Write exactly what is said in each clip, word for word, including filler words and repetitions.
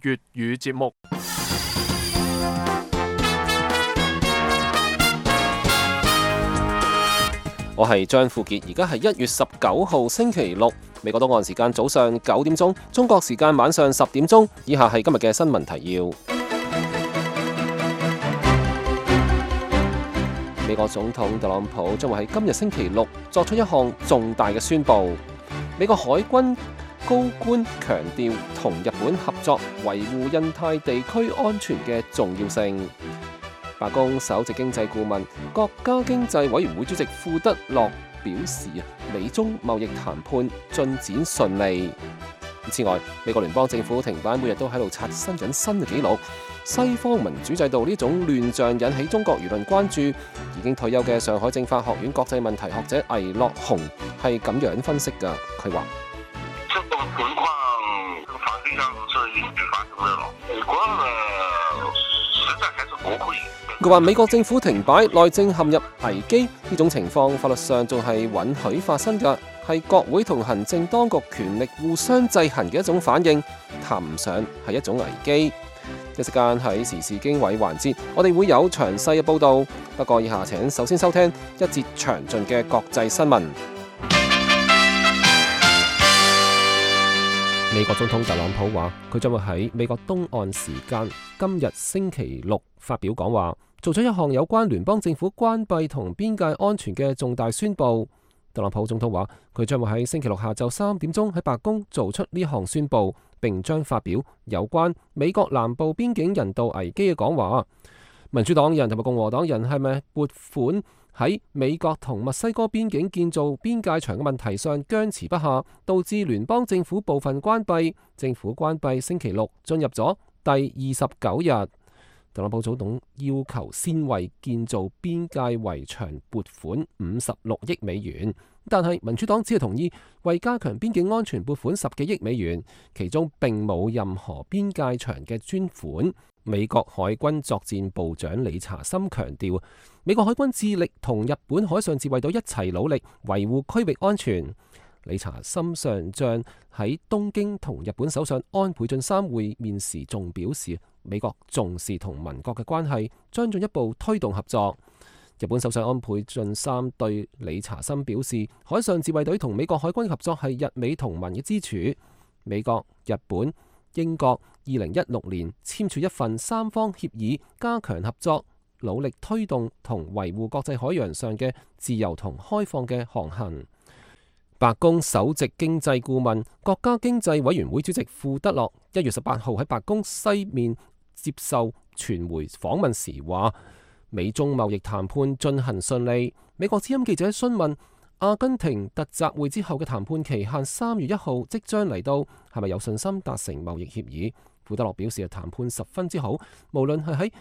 粵語節目。我係張富傑，而家係一月十九號星期六，美國東岸時間早上九點鐘，中國時間晚上十點鐘。以下係今日嘅新聞提要。美國總統特朗普將會喺今日星期六作出一項重大嘅宣佈。美國海軍高官強調同日本合作維護印太地區安全嘅重要性。白宮首席經濟顧問、國家經濟委員會主席庫德洛表示，美中貿易談判進展順利。此外，美國聯邦政府停擺每日都喺度刷新緊新嘅紀錄。西方民主制度呢種亂象引起中國輿論關注。已經退休嘅上海政法學院國際問題學者魏樂雄係咁樣分析㗎。佢話：這種情況，這個法律上是允許發生的咯。美國呢，實在還是國會。佢話美國政府停擺，內政陷入危機，呢種情況法律上仲係允許發生㗎，係國會同行政當局權力互相制衡嘅一種反應，談唔上係一種危機。一時間喺時事經緯環節，我哋會有詳細嘅報導。不過以下請首先收聽一節詳盡嘅國際新聞。美國總統特朗普話，佢將會喺美國東岸時間今日星期六發表講話，做咗一項有關聯邦政府關閉同邊界安全嘅重大宣佈。特朗普總統話，佢將會喺星期六下晝三點鐘喺白宮做出呢項宣佈，並將發表有關美國南部邊境人道危機嘅講話。民主黨人同埋共和黨人係咪撥款喺美國同墨西哥邊境建造邊界牆嘅問題上僵持不下，導致聯邦政府部分關閉。政府關閉星期六進入咗第二十九日。特朗普總統要求先為建造邊界圍牆撥款五十六億美元，但係民主黨只係同意為加強邊境安全撥款十幾億美元，其中並冇任何邊界牆嘅專款。美國海軍作戰部長理查森強調，美國海軍致力同日本海上自衛隊一齊努力維護區域安全。理查森上將喺東京同日本首相安倍晉三會面時仲表示，美國重視同盟國嘅關係，將進一步推動合作。日本首相安倍晉三對理查森表示，海上自衛隊同美國海軍合作係日美同盟嘅支柱。美國、日本、英國二零一六年簽署一份三方協議，加強合作，努力推動同維護國際海洋上嘅自由同開放嘅航行。白宮首席經濟顧問、國家經濟委員會主席庫德洛一月十八號喺白宮西面接受傳媒訪問時話，美中貿易談判進行順利。美國之音記者詢問阿根廷特集會之後嘅談判期限三月一號即將嚟到，係咪有信心達成貿易協議？庫德洛表示，談判十分之好，無論係喺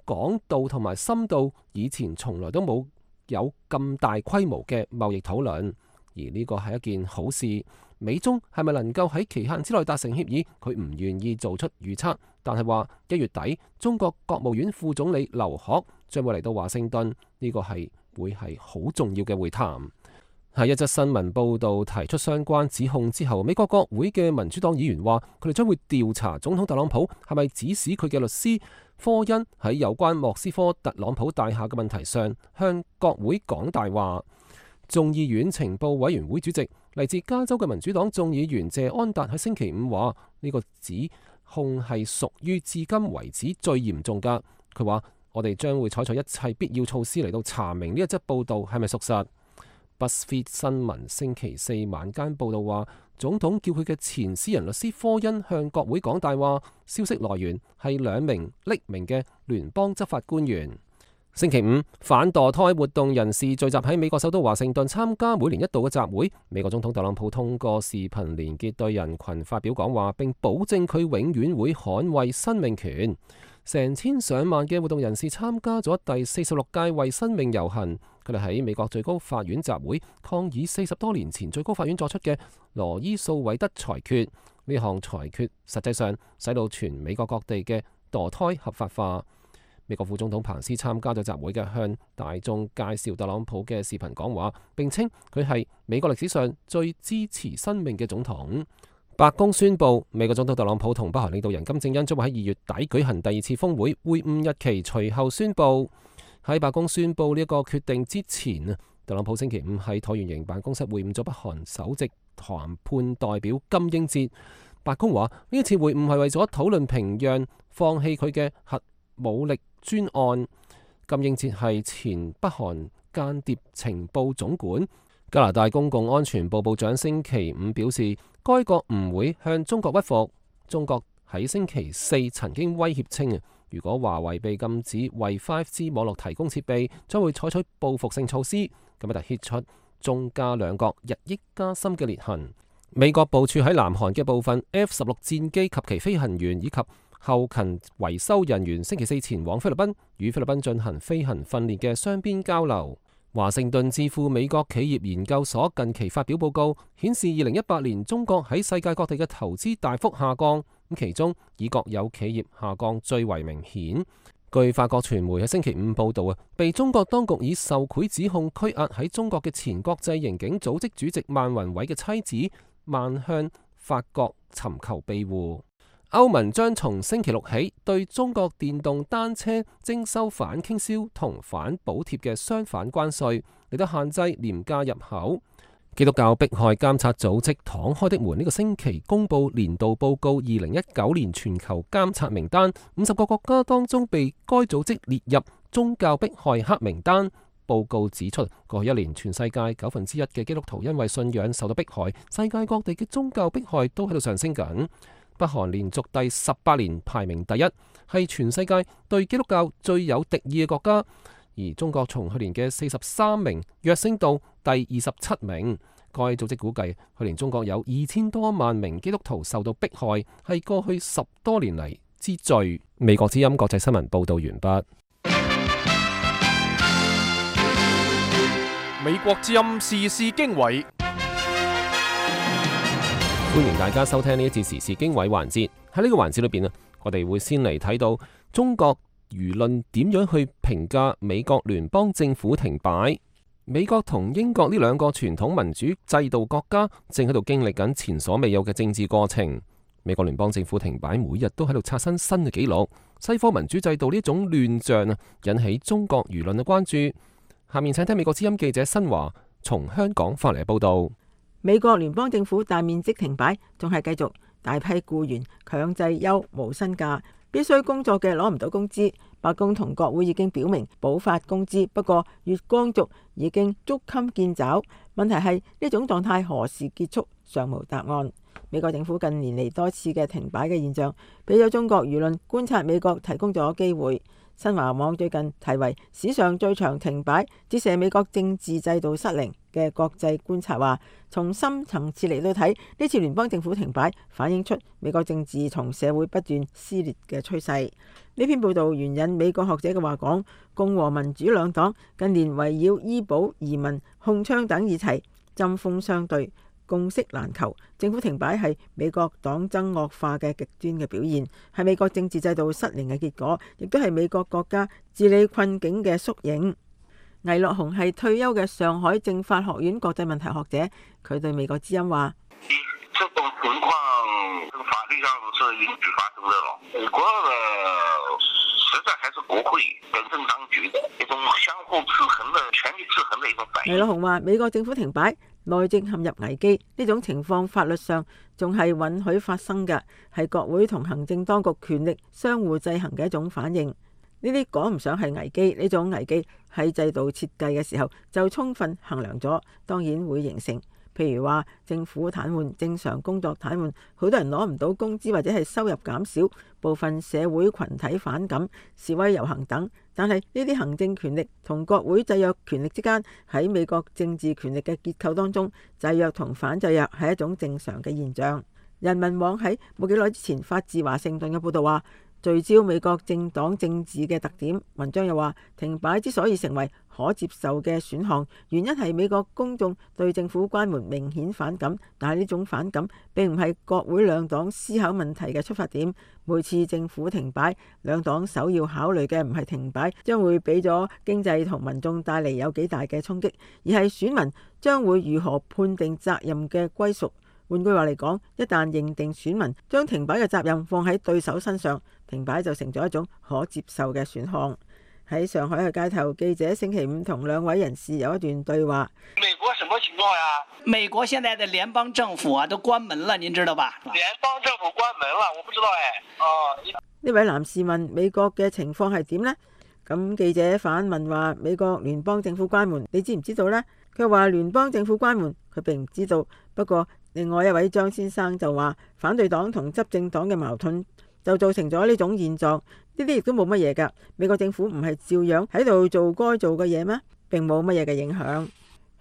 廣度同埋深度，以前從來都冇有咁大規模嘅貿易討論。而呢個係一件好事。美中係咪能夠喺期限之內達成協議？佢唔願意做出預測，但係話一月底中國國務院副總理劉鶴將會嚟到華盛頓，呢個係會係好重要嘅會談。喺一則新聞報導提出相關指控之後，美國國會嘅民主黨議員話，佢哋將會調查總統特朗普係咪指使佢嘅律師科恩喺有關莫斯科特朗普大廈嘅問題上向國會講大話。眾議院情報委員會主席嚟自加州嘅民主黨眾議員謝安達喺星期五話，呢個指控係屬於至今為止最嚴重㗎。佢話，我哋將會採取一切必要措施嚟到查明呢一則報導係咪屬實。BuzzFeed 新聞星期四晚間報導話，總統叫佢嘅前私人律師科恩向國會講大話，消息來源係兩名匿名嘅聯邦執法官員。星期五，反墮胎活動人士聚集喺美國首都華盛頓參加每年一度嘅集會。美國總統特朗普通過視頻連結對人群發表講話，並保證佢永遠會捍衛生命權。成千上萬嘅活動人士參加咗第四十六屆為生命遊行，佢哋喺美國最高法院集會抗議四十多年前最高法院作出嘅羅伊訴韋德裁決。呢項裁決實際上使到全美國各地嘅墮胎合法化。美國副總統彭斯參加咗集會嘅，向大眾介紹特朗普嘅視頻講話，並稱佢係美國歷史上最支持生命嘅總統。白宮宣布，美國總統特朗普同北韓領導人金正恩將會喺二月底舉行第二次峰會，會晤日期隨後宣布。喺白宮宣布呢一個決定之前啊，特朗普星期五喺橢圓形辦公室會晤咗北韓首席談判代表金英哲。白宮話呢一次會晤係為咗討論平壤放棄佢嘅核武力專案。金英哲係前北韓間諜情報總管。加拿大公共安全部部長星期五表示，該國唔會向中國屈服。中國喺星期四曾經威脅稱，如果華為被禁止為 五 G 網絡提供設備，將會採取報復性措施。咁啊，突顯出中加兩國日益加深嘅裂痕。美國部署喺南韓嘅部分 F 十六戰機及其飛行員以及後勤維修人員，星期四前往菲律賓，與菲律賓進行飛行訓練嘅雙邊交流。華盛頓智庫美國企業研究所近期發表報告，顯示二零一八年中國喺世界各地嘅投資大幅下降，咁其中以國有企業下降最為明顯。據法國傳媒喺星期五報道啊，被中國當局以受賄指控拘押喺中國嘅前國際刑警組織主席萬宏偉嘅妻子萬向法國尋求庇護。歐盟將從星期六起對中國電動單車徵收反傾銷同反補貼嘅雙反關稅，嚟到限制廉價入口。基督教迫害監察組織敞開的門呢個星期公布年度報告二零一九年全球監察名單，五十個國家當中被該組織列入宗教迫害黑名單。報告指出，過去一年全世界九分之一嘅基督徒因為信仰受到迫害，世界各地嘅宗教迫害都喺度上升緊。北韓連續第十八年排名第一，係全世界對基督教最有敵意嘅國家。而中國從去年嘅四十三名躍升到第二十七名。該組織估計，去年中國有二千多萬名基督徒受到迫害，係過去十多年嚟之最。美國之音國際新聞報道完畢。美國之音時事經緯。歡迎大家收聽呢一次時事經緯環節。喺呢個環節裏邊啊，我哋會先嚟睇到中國輿論點樣去評價美國聯邦政府停擺。美國同英國呢兩個傳統民主制度國家正喺度經歷緊前所未有嘅政治過程。美國聯邦政府停擺，每日都喺度刷新新嘅紀錄。西方民主制度呢種亂象啊，引起中國輿論嘅關注。下面請聽美國之音記者新華從香港發嚟嘅報道。美國聯邦政府大面積停擺，仲係繼續大批僱員強制休無薪假，必須工作嘅攞唔到工資。白宮同國會已經表明補發工資，不過月光族已經捉襟見肘。問題係呢種狀態何時結束，尚無答案。美國政府近年嚟多次嘅停擺嘅現象，俾咗中國輿論觀察美國提供咗機會。新華網最近題為史上最長停擺，折射美國政治制度失靈嘅國際觀察話，從深層次嚟到睇，呢次聯邦政府停擺反映出美國政治同社會不斷撕裂嘅趨勢。呢篇報道援引美國學者嘅話講，共和民主兩黨近年圍繞醫保、移民、控槍等議題針鋒相對，共識難求。政府停擺係美國黨爭惡化嘅極端嘅表現，係美國政治制度失靈嘅結果，亦都係美國國家治理困境嘅縮影。倪樂雄係退休嘅上海政法學院國際問題學者，佢對美國之音話：這種情況法律上是允許發生的咯。美國的實在還是國會本政當局的一種相互制衡的權力制衡的一種反應。倪樂雄話：美國政府停擺，內政陷入危機，呢種情況法律上仲係允許發生嘅，係國會同行政當局權力相互制衡嘅一種反應。呢啲講唔上係危機，呢種危機喺制度設計嘅時候就充分衡量咗，當然會形成。譬如話政府癱瘓、正常工作癱瘓，好多人攞唔到工資或者係收入減少，部分社會群體反感、示威遊行等。但係呢啲行政權力同國會制約權力之間，喺美國政治權力嘅結構當中，制約同反制約係一種正常嘅現象。人民網喺冇幾耐之前發自華盛頓嘅報導話，聚焦美國政黨政治嘅特點。文章又話，停擺之所以成為可接受嘅選項，原因係美國公眾對政府關門明顯反感，但係呢種反感並唔係國會兩黨思考問題嘅出發點。每次政府停擺，兩黨首要考慮嘅唔係停擺將會俾咗經濟同民眾帶嚟有幾大嘅衝擊，而係選民將會如何判定責任嘅歸屬。換句話嚟講，一旦認定選民將停擺嘅責任放喺對手身上，停擺就成咗一種可接受嘅選項。喺上海嘅街頭，記者星期五同兩位人士有一段對話。美國什麼情況呀？美國現在的聯邦政府啊都關門了，您知道吧？聯邦政府關門了，我不知道誒。哦，呢位男士問美國嘅情況係點呢？咁記者反問話美國聯邦政府關門，你知唔知道呢？佢話聯邦政府關門，佢並唔知道。不過另外一位張先生就話反對黨同執政黨嘅矛盾就造成咗呢種現狀。呢啲亦都冇乜嘢㗎。美國政府唔係照樣喺度做該做嘅嘢咩？並冇乜嘢嘅影響。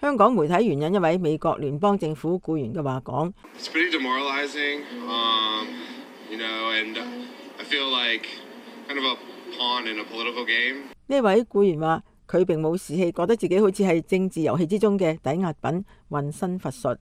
香港媒體援引一位美國聯邦政府僱員嘅話講：呢位僱員話佢並冇士氣，覺得自己好似係政治遊戲之中嘅抵押品，渾身乏術。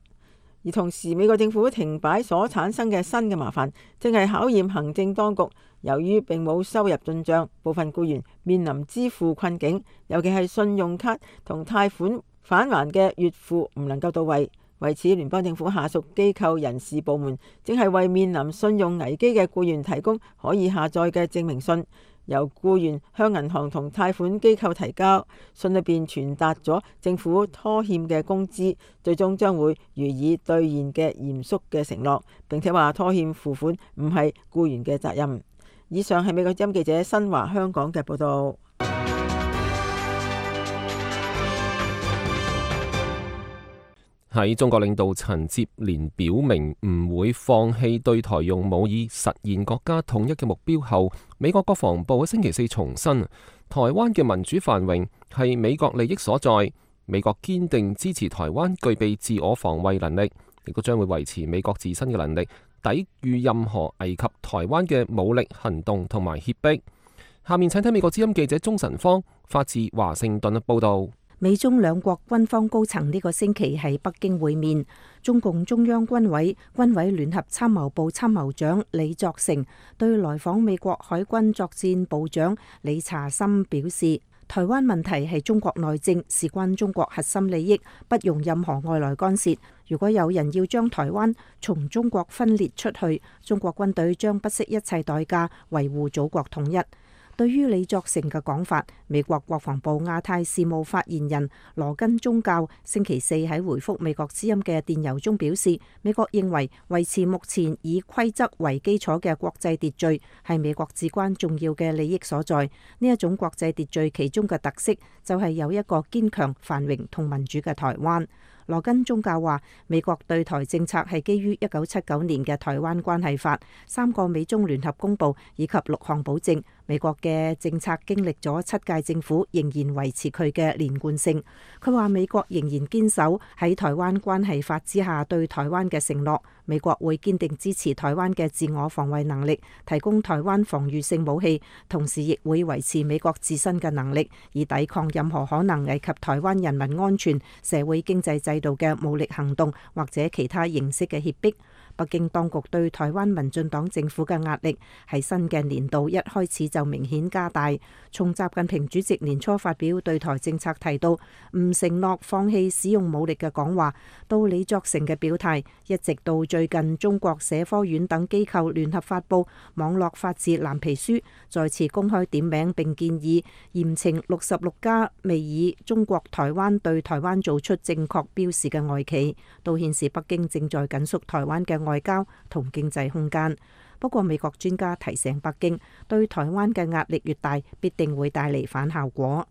而同時，美國政府停擺所產生嘅新嘅麻煩，正係考驗行政當局。由於並冇收入進帳，部分僱員面臨支付困境，尤其係信用卡同貸款返還嘅月付唔能夠到位。為此，聯邦政府下屬機構人事部門正係為面臨信用危機嘅僱員提供可以下載嘅證明信，由僱員向銀行同貸款機構提交。信裏邊傳達咗政府拖欠嘅工資最終將會予以兌現嘅嚴肅嘅承諾，並且話拖欠付款唔係僱員嘅責任。以上係美國之音記者新華香港嘅報道。喺中國領導層接連表明唔會放棄對台用武以實現國家統一嘅目標後，美國國防部喺星期四重申，台灣嘅民主繁榮係美國利益所在，美國堅定支持台灣具備自我防衛能力，亦都將會維持美國自身嘅能力，抵禦任何危及台灣嘅武力行動同埋脅迫。下面請睇美國之音記者鍾晨芳發自華盛頓嘅報道。美中兩國軍方高層呢個星期喺北京會面，中共中央軍委軍委聯合參謀部參謀長李作成對來訪美國海軍作戰部長李查森表示，台灣問題係中國內政，事關中國核心利益，不容任何外來干涉。如果有人要將台灣從中國分裂出去，中國軍隊將不惜一切代價維護祖國統一。對於李作成嘅講法，美國國防部亞太事務發言人羅根宗教星期四喺回覆美國之音嘅電郵中表示，美國認為維持目前以規則為基礎嘅國際秩序係美國至關重要嘅利益所在。呢一種國際秩序其中嘅特色就係有一個堅強、繁榮同民主嘅台灣。羅根宗教話，美國對台政策係基於一九七九年嘅《台灣關係法》、三個美中聯合公報以及六項保證。美國嘅政策經歷咗七屆政府，仍然維持佢嘅連貫性。佢話美國仍然堅守喺《台灣關係法》之下對台灣嘅承諾。美國會堅定支持台灣嘅自我防衛能力，提供台灣防禦性武器，同時亦會維持美國自身嘅能力，以抵抗任何可能危及台灣人民安全、社會經濟制度嘅武力行動或者其他形式嘅脅迫。北京當局對台灣民進黨政府嘅壓力喺新嘅年度一開始就明顯加大。從習近平主席年初發表對台政策提到唔承諾放棄使用武力嘅講話，到李作成嘅表態，一直到最近中國社科院等機構聯合發布網絡法治藍皮書，再次公開點名並建議嚴懲六十六家未以中國台灣對台灣做出正確標示嘅外企，都顯示北京正在緊縮台灣嘅外交同經濟空間。不過美國專家提醒北京，對台灣嘅壓力越大，必定會帶嚟反效果。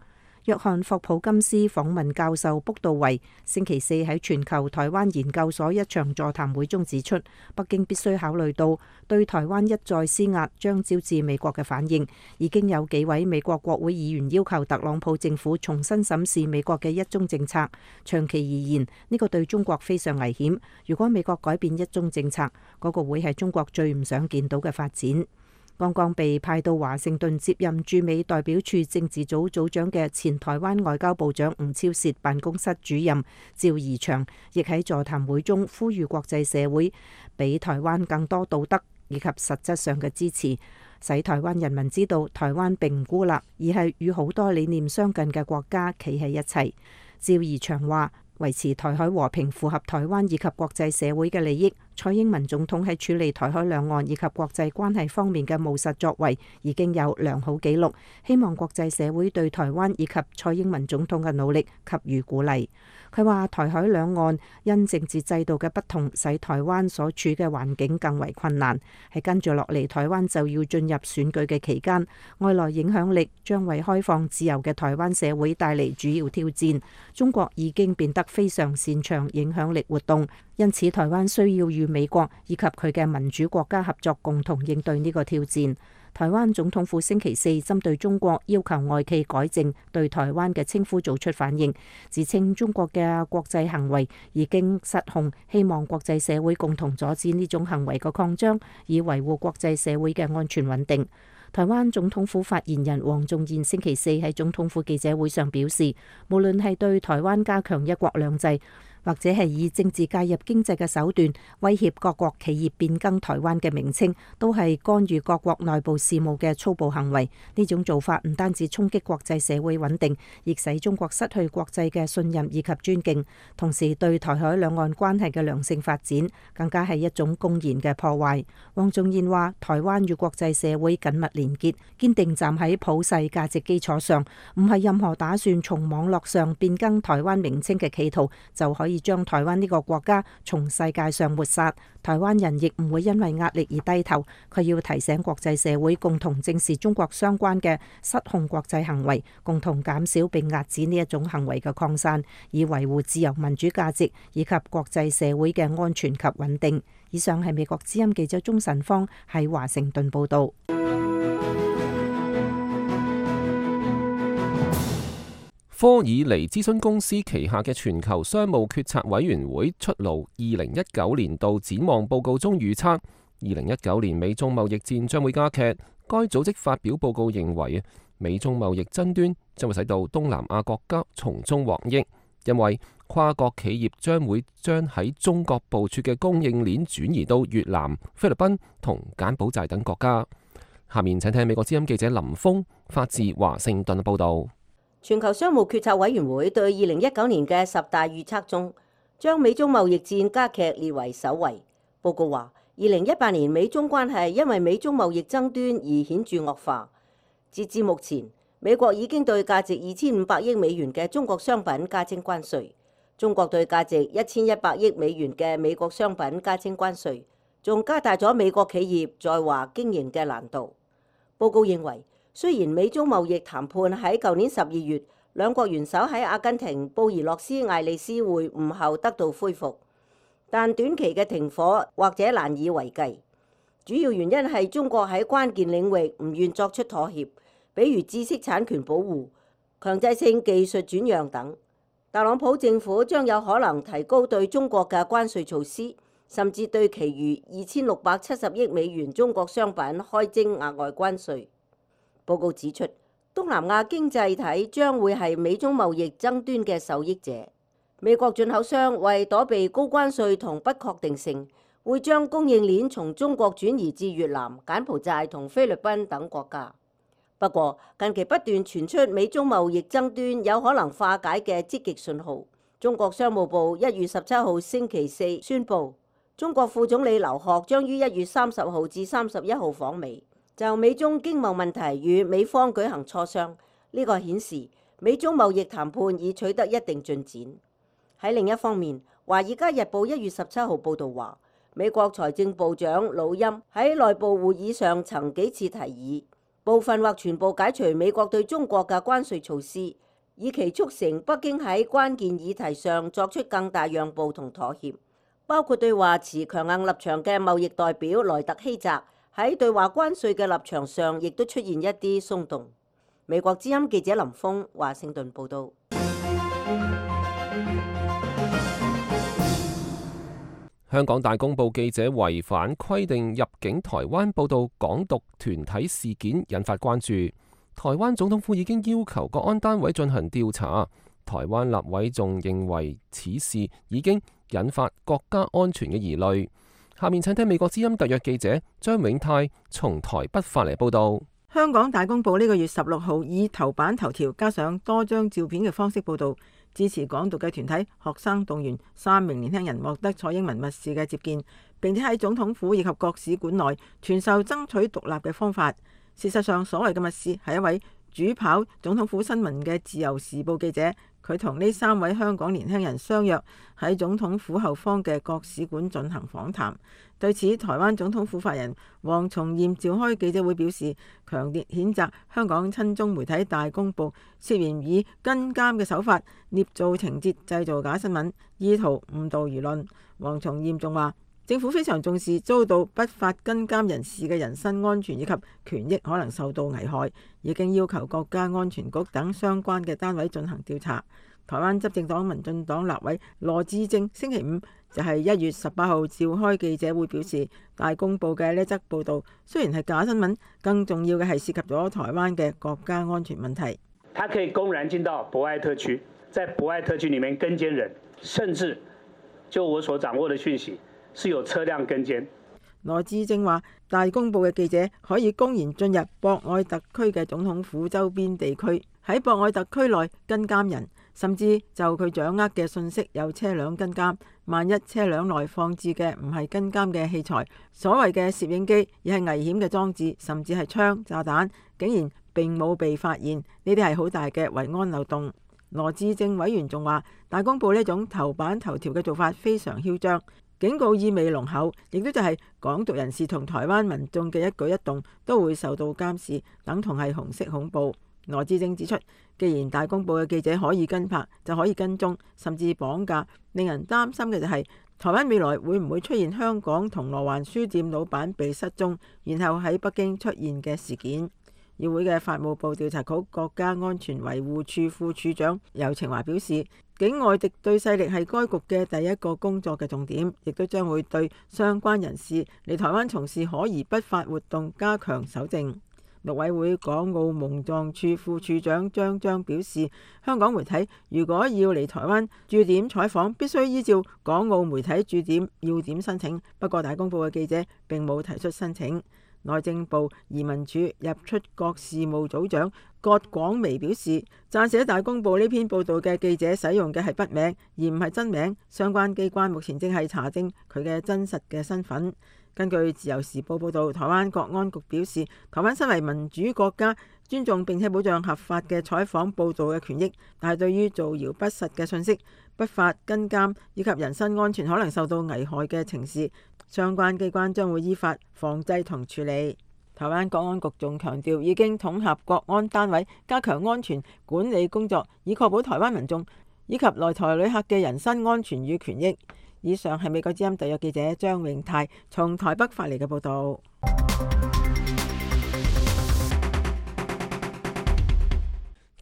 約翰霍普金斯訪問教授卜道維星期四喺全球台灣研究所一場座談會中指出，北京必須考慮到對台灣一再施壓將招致美國嘅反應。已經有幾位美國國會議員要求特朗普政府重新審視美國嘅一中政策。長期而言，呢個對中國非常危險。如果美國改變一中政策，嗰個會係中國最唔想見到嘅發展。剛剛被派到華盛頓接任駐美代表處政治組組長嘅前台灣外交部長吳釗燮辦公室主任趙怡翔，亦喺座談會中呼籲國際社會俾台灣更多道德以及實質上嘅支持，使台灣人民知道台灣並唔孤立，而係與好多理念相近嘅國家企喺一齊。趙怡翔話，維持台海和平符合台灣以及國際社會嘅利益，蔡英文總統喺處理台海兩岸以及國際關係方面嘅務實作為已經有良好紀錄，希望國際社會對台灣以及蔡英文總統嘅努力給予鼓勵。佢話台海兩岸因政治制度嘅不同，使台灣所處嘅環境更為困難。喺跟住落嚟，台灣就要進入選舉嘅期間，外來影響力將為開放自由嘅台灣社會帶嚟主要挑戰。中國已經變得非常擅長影響力活動，因此台灣需要與美國以及佢嘅民主國家合作，共同應對呢個挑戰。台灣總統府星期四針對中國要求外企改正對台灣嘅稱呼做出反應，自稱中國嘅國際行為已經失控，希望國際社會共同阻止呢種行為嘅擴張，以維護國際社會嘅安全穩定。台灣總統府發言人黃仲彥星期四喺總統府記者會上表示，無論係對台灣加強一國兩制，或者係以政治介入經濟嘅手段威脅各國企業變更台灣嘅名稱，都係干預各國內部事務嘅粗暴行為。呢種做法唔單止衝擊國際社會穩定，亦使中國失去國際嘅信任以及尊敬，同時對台海兩岸關係嘅良性發展更加係一種公然嘅破壞。黃仲彥話，台灣與國際社會緊密連結，堅定站喺普世價值基礎上，唔係任何打算從網絡上變更台灣名稱嘅企圖就可以將台灣呢個國家從世界上抹殺。台灣人亦唔會因為壓力而低頭。佢要提醒國際社會共同正視中國相關嘅失控國際行為，共同減少並遏止呢一種行為嘅擴散，以維護自由民主價值以及國際社會嘅安全及穩定。以上係美國之音記者鍾晨芳喺華盛頓報道。科爾尼諮詢公司旗下嘅全球商務決策委員會出爐二零一九年度展望報告中預測，二零一九年美中貿易戰將會加劇。該組織發表報告認為，美中貿易爭端將會使到東南亞國家從中獲益，因為跨國企業將會將喺中國部署嘅供應鏈轉移到越南、菲律賓同柬埔寨等國家。下面請聽美國之音記者林峰發自華盛頓報道。全球商務決策委員會對二零一九年嘅十大預測中，將美中貿易戰加劇列為首位。報告話，二零一八年美中關係因為美中貿易爭端而顯著惡化。截至目前，美國已經對價值二千五百億美元嘅中國商品加徵關稅，中國對價值一千一百億美元嘅美國商品加徵關稅，仲加大咗美國企業在華經營嘅難度。報告認為，雖然美中貿易談判喺舊年十二月兩國元首喺阿根廷布宜諾斯艾利斯會晤後得到恢復，但短期嘅停火或者難以為繼。主要原因係中國喺關鍵領域唔願作出妥協，比如知識產權保護、強制性技術轉讓等。特朗普政府將有可能提高對中國嘅關稅措施，甚至對其餘二千六百七十億美元中國商品開徵額外關稅。報告指出，東南亞經濟體將會係美中貿易爭端嘅受益者。美國進口商為躲避高關稅同不確定性，會將供應鏈從中國轉移至越南、柬埔寨同菲律賓等國家。不過，近期不斷傳出美中貿易爭端有可能化解嘅積極信號。中國商務部一月十七號星期四宣布，中國副總理劉鶴將於一月三十號至三十一號訪美，就美中經貿問題與美方舉行磋商。呢個顯示美中貿易談判已取得一定進展。喺另一方面，《華爾街日報》一月十七號報導話，美國財政部長魯欽喺內部會議上曾幾次提議部分或全部解除美國對中國嘅關稅措施，以期促成北京喺關鍵議題上作出更大讓步同妥協，包括對華持強硬立場嘅貿易代表萊特希澤喺對華關稅嘅立場上，亦都出現一啲鬆動。美國之音記者林峰華盛頓報導。香港大公報記者違反規定入境台灣報導港獨團體事件，引發關注。台灣總統府已經要求國安單位進行調查。台灣立委仲認為此事已經引發國家安全嘅疑慮。下面請聽美國之音特約記者張永泰從台北發嚟報導。香港大公報呢個月十六號以頭版頭條加上多張照片嘅方式報導，支持港獨嘅團體學生動員三名年輕人獲得蔡英文密使嘅接見，並且喺總統府以及各使館內傳授爭取獨立嘅方法。事實上，所謂嘅密使係一位主跑總統府新聞嘅自由時報記者，佢同呢三位香港年輕人相約喺總統府後方嘅各使館進行訪談。對此，台灣總統府發言人黃重艷召開記者會表示，強烈譴責香港親中媒體大公報涉嫌以跟監嘅手法捏造情節，製造假新聞，意圖誤導輿論。黃重艷仲話，政府非常重視遭到不法跟監人士嘅人身安全以及權益可能受到危害，已經要求國家安全局等相關嘅單位進行調查。台灣執政黨民進黨立委羅致政星期五就係一月十八號召開記者會表示，大公報嘅呢則報導雖然係假新聞，更重要嘅係涉及咗台灣嘅國家安全問題。他可以公然進到博愛特區，在博愛特區裡面跟監人，甚至就我所掌握的訊息，是有車輛跟監。羅致政話，大公報嘅記者可以公然進入博愛特區嘅總統府周邊地區，喺博愛特區內跟監人，甚至就佢掌握嘅信息有車輛跟監。萬一車輛內放置嘅唔係跟監嘅器材，所謂嘅攝影機，而係危險嘅裝置，甚至係槍、炸彈，竟然並冇被發現，呢啲係好大嘅維安漏洞。羅致政委員仲話，大公報呢種頭版頭條嘅做法非常囂張，警告意味濃厚，亦都就係港獨人士同台灣民眾嘅一舉一動都會受到監視，等同係紅色恐怖。羅致政指出，既然大公報嘅記者可以跟拍，就可以跟蹤，甚至綁架，令人擔心嘅就係台灣未來會唔會出現香港銅鑼灣書店老闆被失蹤，然後喺北京出現嘅事件。議會嘅法務部調查局國家安全維護處副處長游晴華表示，境外敵對勢力係該局嘅第一個工作嘅重點，亦都將會對相關人士嚟台灣從事可疑不法活動加強搜證。陸委會港澳蒙藏處副處長張章表示，香港媒體如果要嚟台灣駐點採訪，必須依照港澳媒體駐點要點申請。不過大公報嘅記者並冇提出申請。內政部移民署入出國事務組長葛廣薇表示，撰寫大公報呢篇報道嘅記者使用嘅係筆名，而唔係真名。相關機關目前正係查證佢嘅真實嘅身份。根據自由時報報道，台灣國安局表示，台灣身為民主國家，尊重並且保障合法嘅採訪報道嘅權益，但係對於造謠不實嘅信息、不法跟監以及人身安全可能受到危害嘅情事，相關機關將會依法防制同處理。台灣國安局仲強調，已經統合國安單位，加強安全管理工作，以確保台灣民眾以及來台旅客嘅人身安全與權益。以上係美國之音特約記者張永泰從台北發嚟嘅報道。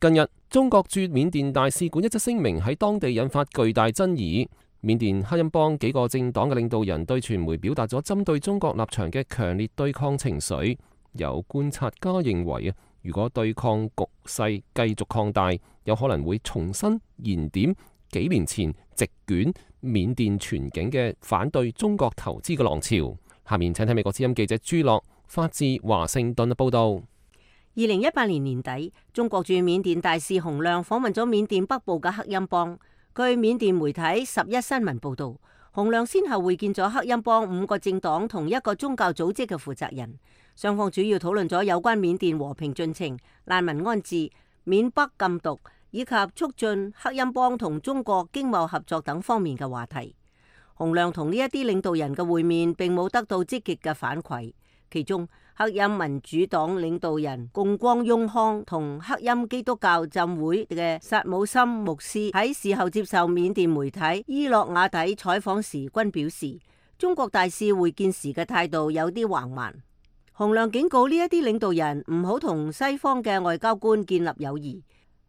近日，中國駐緬甸大使館一則聲明喺當地引發巨大爭議。緬甸克欽邦幾個政黨嘅領導人對傳媒表達咗針對中國立場嘅強烈對抗情緒。有觀察家認為啊，如果對抗局勢繼續擴大，有可能會重新燃點幾年前席捲緬甸全境嘅反對中國投資嘅浪潮。下面請睇美國之音記者朱樂發自華盛頓嘅報道。二零一八年年底，中國駐緬甸大使洪亮訪問咗緬甸北部嘅克欽邦。據緬甸媒體十一新聞報道，洪亮先後會見咗克欽邦五個政黨同一個宗教組織嘅負責人，雙方主要討論咗有關緬甸和平進程、難民安置、緬北禁毒以及促進克欽邦同中國經貿合作等方面嘅話題。洪亮同呢一啲領導人嘅會面並冇得到積極嘅反饋，其中克欽民主黨領導人貢光雍康同克欽基督教浸會嘅薩姆森牧師喺事後接受緬甸媒體伊洛瓦底採訪時均表示，中國大使會見時嘅態度有啲橫蠻。洪亮警告呢一啲領導人唔好同西方嘅外交官建立友誼，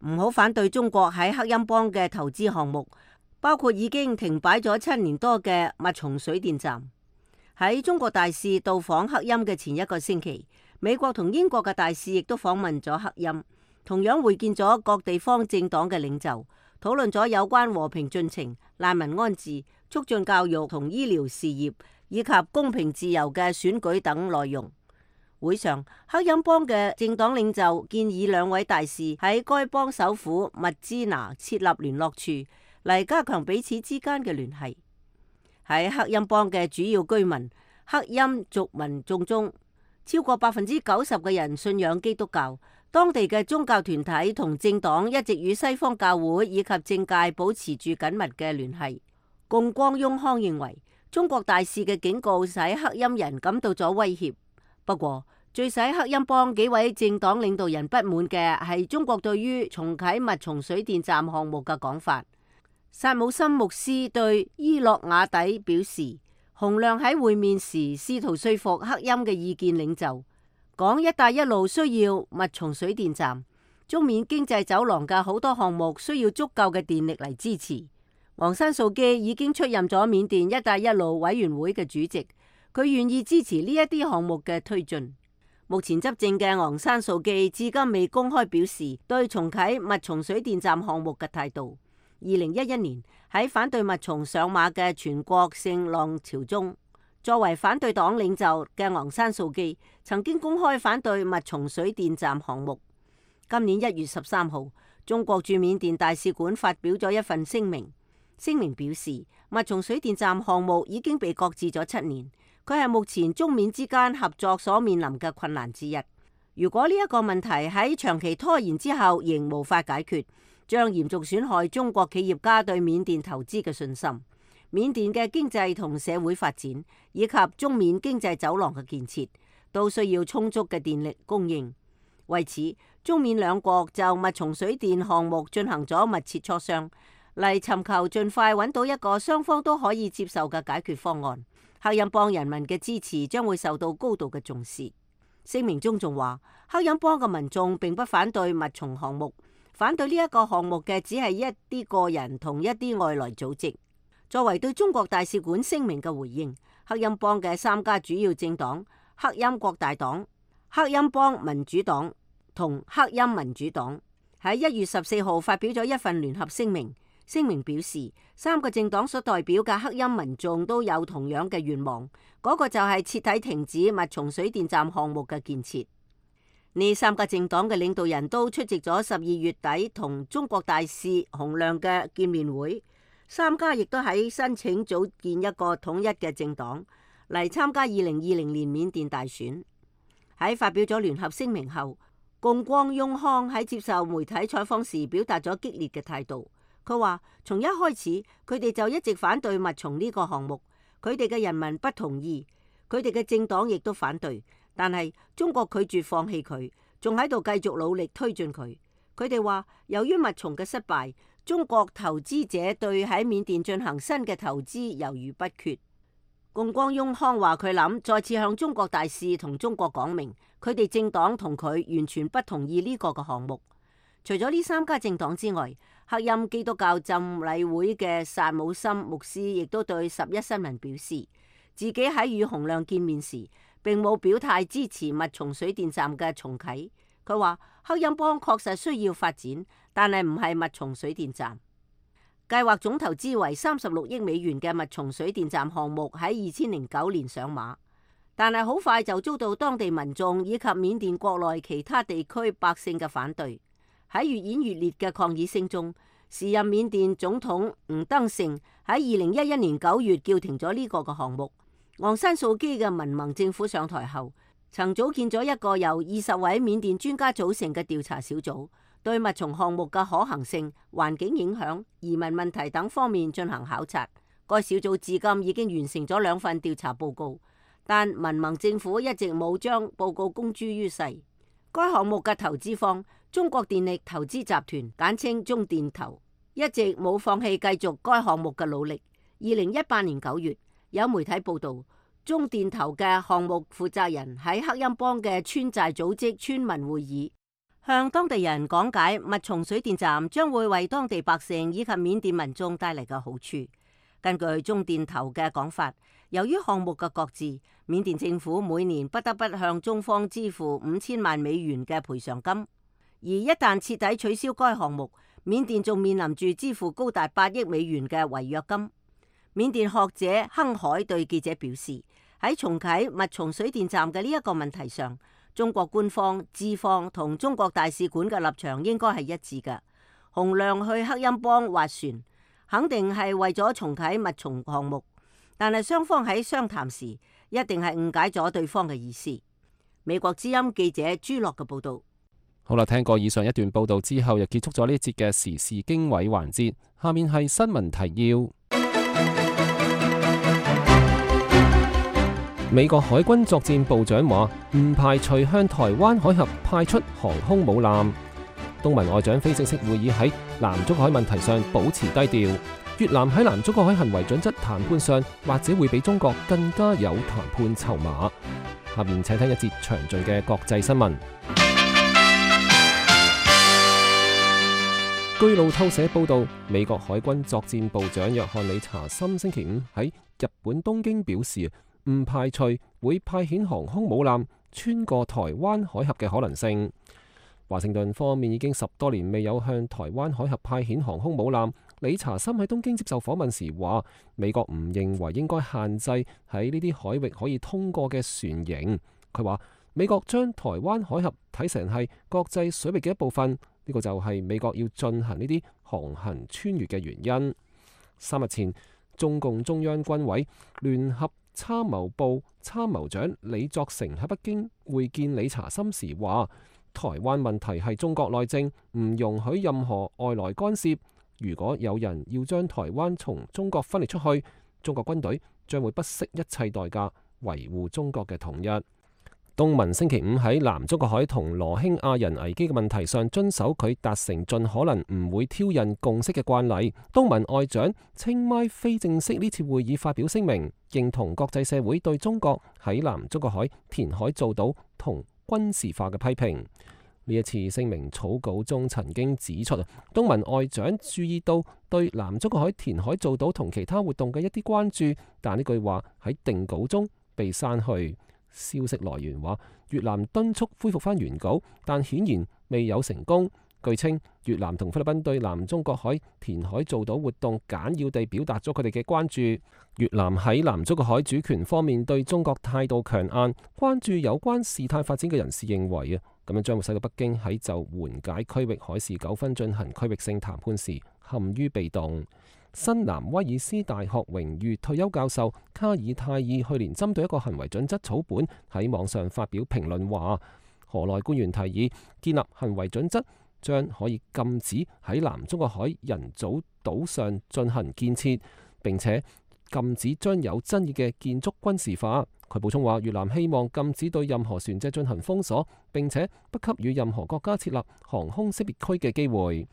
唔好反對中國喺克欽邦嘅投資項目，包括已經停擺咗七年多嘅密松水電站。喺中國大使到訪克欽嘅前一個星期，美國同英國嘅大使亦都訪問咗克欽，同樣會見咗各地方政黨嘅領袖，討論咗有關和平進程、難民安置、促進教育同醫療事業以及公平自由嘅選舉等內容。會上，克欽邦嘅政黨領袖建議兩位大使喺該邦首府密支那設立聯絡處，嚟加強彼此之間嘅聯繫。喺克欽邦嘅主要居民克欽族民眾中，超過百分之九十嘅人信仰基督教。當地嘅宗教團體同政黨一直與西方教會以及政界保持住緊密嘅聯繫。共光雍康認為，中國大使嘅警告使克欽人感到咗威脅。不過，最使克欽邦幾位政黨領導人不滿嘅係中國對於重啟密松水電站項目嘅講法。薩姆森牧師對伊洛瓦底表示，洪亮喺會面時試圖說服克欽嘅意見領袖，講一帶一路需要密松水電站，中緬經濟走廊嘅好多項目需要足夠嘅電力嚟支持。昂山素基已經出任咗緬甸一帶一路委員會嘅主席，佢願意支持呢一啲項目嘅推進。目前執政嘅昂山素基至今未公開表示對重啟密松水電站項目嘅態度。二零一一年喺反對密松上馬嘅全國性浪潮中，作為反對黨領袖嘅昂山素基曾經公開反對密松水電站項目。今年一月十三號，中國駐緬甸大使館發表咗一份聲明，聲明表示密松水電站項目已經被擱置咗七年，佢係目前中緬之間合作所面臨嘅困難之一。如果呢一個問題喺長期拖延之後仍無法解決，將嚴重損害中國企業家對緬甸投資嘅信心。緬甸嘅經濟同社會發展以及中緬經濟走廊嘅建設都需要充足嘅電力供應。為此，中緬兩國就密松水電項目進行咗密切磋商，嚟尋求盡快揾到一個雙方都可以接受嘅解決方案。克欽邦人民嘅支持將會受到高度嘅重視。聲明中仲話，克欽邦嘅民眾並不反對密松項目，反對呢一個項目嘅只係一啲個人同一啲外來組織。作為對中國大使館聲明嘅回應，克欽邦嘅三家主要政黨克欽國大黨、克欽邦民主黨同克欽民主黨喺一月十四號發表咗一份聯合聲明。聲明表示，三個政黨所代表嘅克欽民眾都有同樣嘅願望，嗰、那個就係徹底停止密松水電站項目嘅建設。呢三個政黨嘅領導人都出席咗十二月底同中國大使洪亮嘅見面會。三家亦都喺申請組建一個統一嘅政黨嚟參加二零二零年緬甸大選。喺發表咗聯合聲明後，共光雍康喺接受媒體採訪時表達咗激烈嘅態度。佢話：從一開始，佢哋就一直反對密松呢個項目，佢哋嘅人民不同意，佢哋嘅政黨亦都反對，但係中國拒絕放棄佢，仲喺度繼續努力推進佢。佢哋話，由於密松嘅失敗，中國投資者對喺緬甸進行新嘅投資猶豫不決。共光雍康話佢諗再次向中國大使同中國講明，佢哋政黨同佢完全不同意呢個嘅項目。除咗呢三家政黨之外，克欽基督教浸禮會嘅薩姆森牧師亦都對十一新聞表示，自己喺與洪亮見面時並冇表態支持密松水電站嘅重啟。佢話克欽邦確實需要發展，但係唔係密松水電站。計劃總投資為三十六億美元嘅密松水電站項目喺二千零九年上馬，但係好快就遭到當地民眾以及緬甸國內其他地區百姓嘅反對。喺越演越烈嘅抗議聲中，時任緬甸總統吳登盛喺二零一一年九月叫停咗呢個嘅項目。昂山素基嘅民盟政府上台後，曾組建咗一個由二十位緬甸專家組成嘅調查小組，對密松項目嘅可行性、環境影響、移民問題等方面進行考察。該小組至今已經完成咗兩份調查報告，但民盟政府一直冇將報告公諸於世。該項目嘅投資方中國電力投資集團，簡稱中電投，一直冇放棄繼續該項目嘅努力。二零一八年九月，有媒體報道，中電投嘅項目負責人喺克欽邦嘅村寨組織村民會議，向當地人講解密松水電站將會為當地百姓以及緬甸民眾帶嚟嘅好處。根據中電投嘅講法，由於項目嘅擱置，緬甸政府每年不得不向中方支付五千萬美元嘅賠償金，而一旦徹底取消該項目，緬甸仲面臨住支付高達八億美元嘅違約金。緬甸學者亨海對記者表示，喺重啟密松水電站嘅呢一個問題上，中國官方、資方同中國大使館嘅立場應該係一致嘅。洪亮去克欽邦斡旋，肯定係為咗重啟密松項目，但係雙方喺商談時一定係誤解咗對方嘅意思。美國之音記者朱樂嘅報道。好啦，聽過以上一段報道之後，又結束咗呢一節嘅時事經緯環節。下面係新聞提要。美國海軍作戰部長話唔排除向台灣海峽派出航空母艦。東盟外長非正式會議喺南中國海問題上保持低調。越南喺南中國海行為準則談判上，或者會比中國更加有談判籌碼。下面請聽一節詳盡嘅國際新聞。據路透社報道，美國海軍作戰部長約翰理查森星期五喺日本東京表示，唔排除會派遣航空母艦穿過台灣海峽嘅可能性。華盛頓方面已經十多年未有向台灣海峽派遣航空母艦。理查森喺東京接受訪問時話，美國唔認為應該限制喺呢啲海域可以通過嘅船型。佢話美國將台灣海峽睇成係國際水域嘅一部分，呢個就係美國要進行呢啲航行穿越嘅原因。三日前，中共中央軍委聯合參謀部參謀長李作成喺北京會見理查森時話，台灣問題係中國內政，唔容許任何外來干涉。如果有人要將台灣從中國分裂出去，中國軍隊將會不惜一切代價維護中國嘅統一。東盟星期五喺南中國海同羅興亞人危機嘅問題上遵守佢達成盡可能唔會挑釁共識嘅慣例。東盟外長清邁非正式呢次會議發表聲明，認同國際社會對中國喺南中國海填海造島同軍事化嘅批評。呢一次聲明草稿中曾經指出，東盟外長注意到對南中國海填海造島同其他活動嘅一啲關注，但呢句話喺定稿中被刪去。消息來源話，越南敦促恢復返原稿，但顯然未有成功。據稱，越南同菲律賓對南中國海填海造島活動簡要地表達咗佢哋嘅關注。越南喺南中國海主權方面對中國態度強硬，關注有關事態發展嘅人士認為啊，咁樣將會使到北京喺就緩解區域海事糾紛進行區域性談判時陷於被動。新南威爾斯大學榮譽退休教授卡爾泰爾去年針對一個行為準則草本喺網上發表評論話，河內官員提議建立行為準則，將可以禁止喺南中國海人造島上進行建設，並且禁止將有爭議嘅建築軍事化。佢補充話，越南希望禁止對任何船隻進行封鎖，並且不給予任何國家設立航空識別區嘅機會。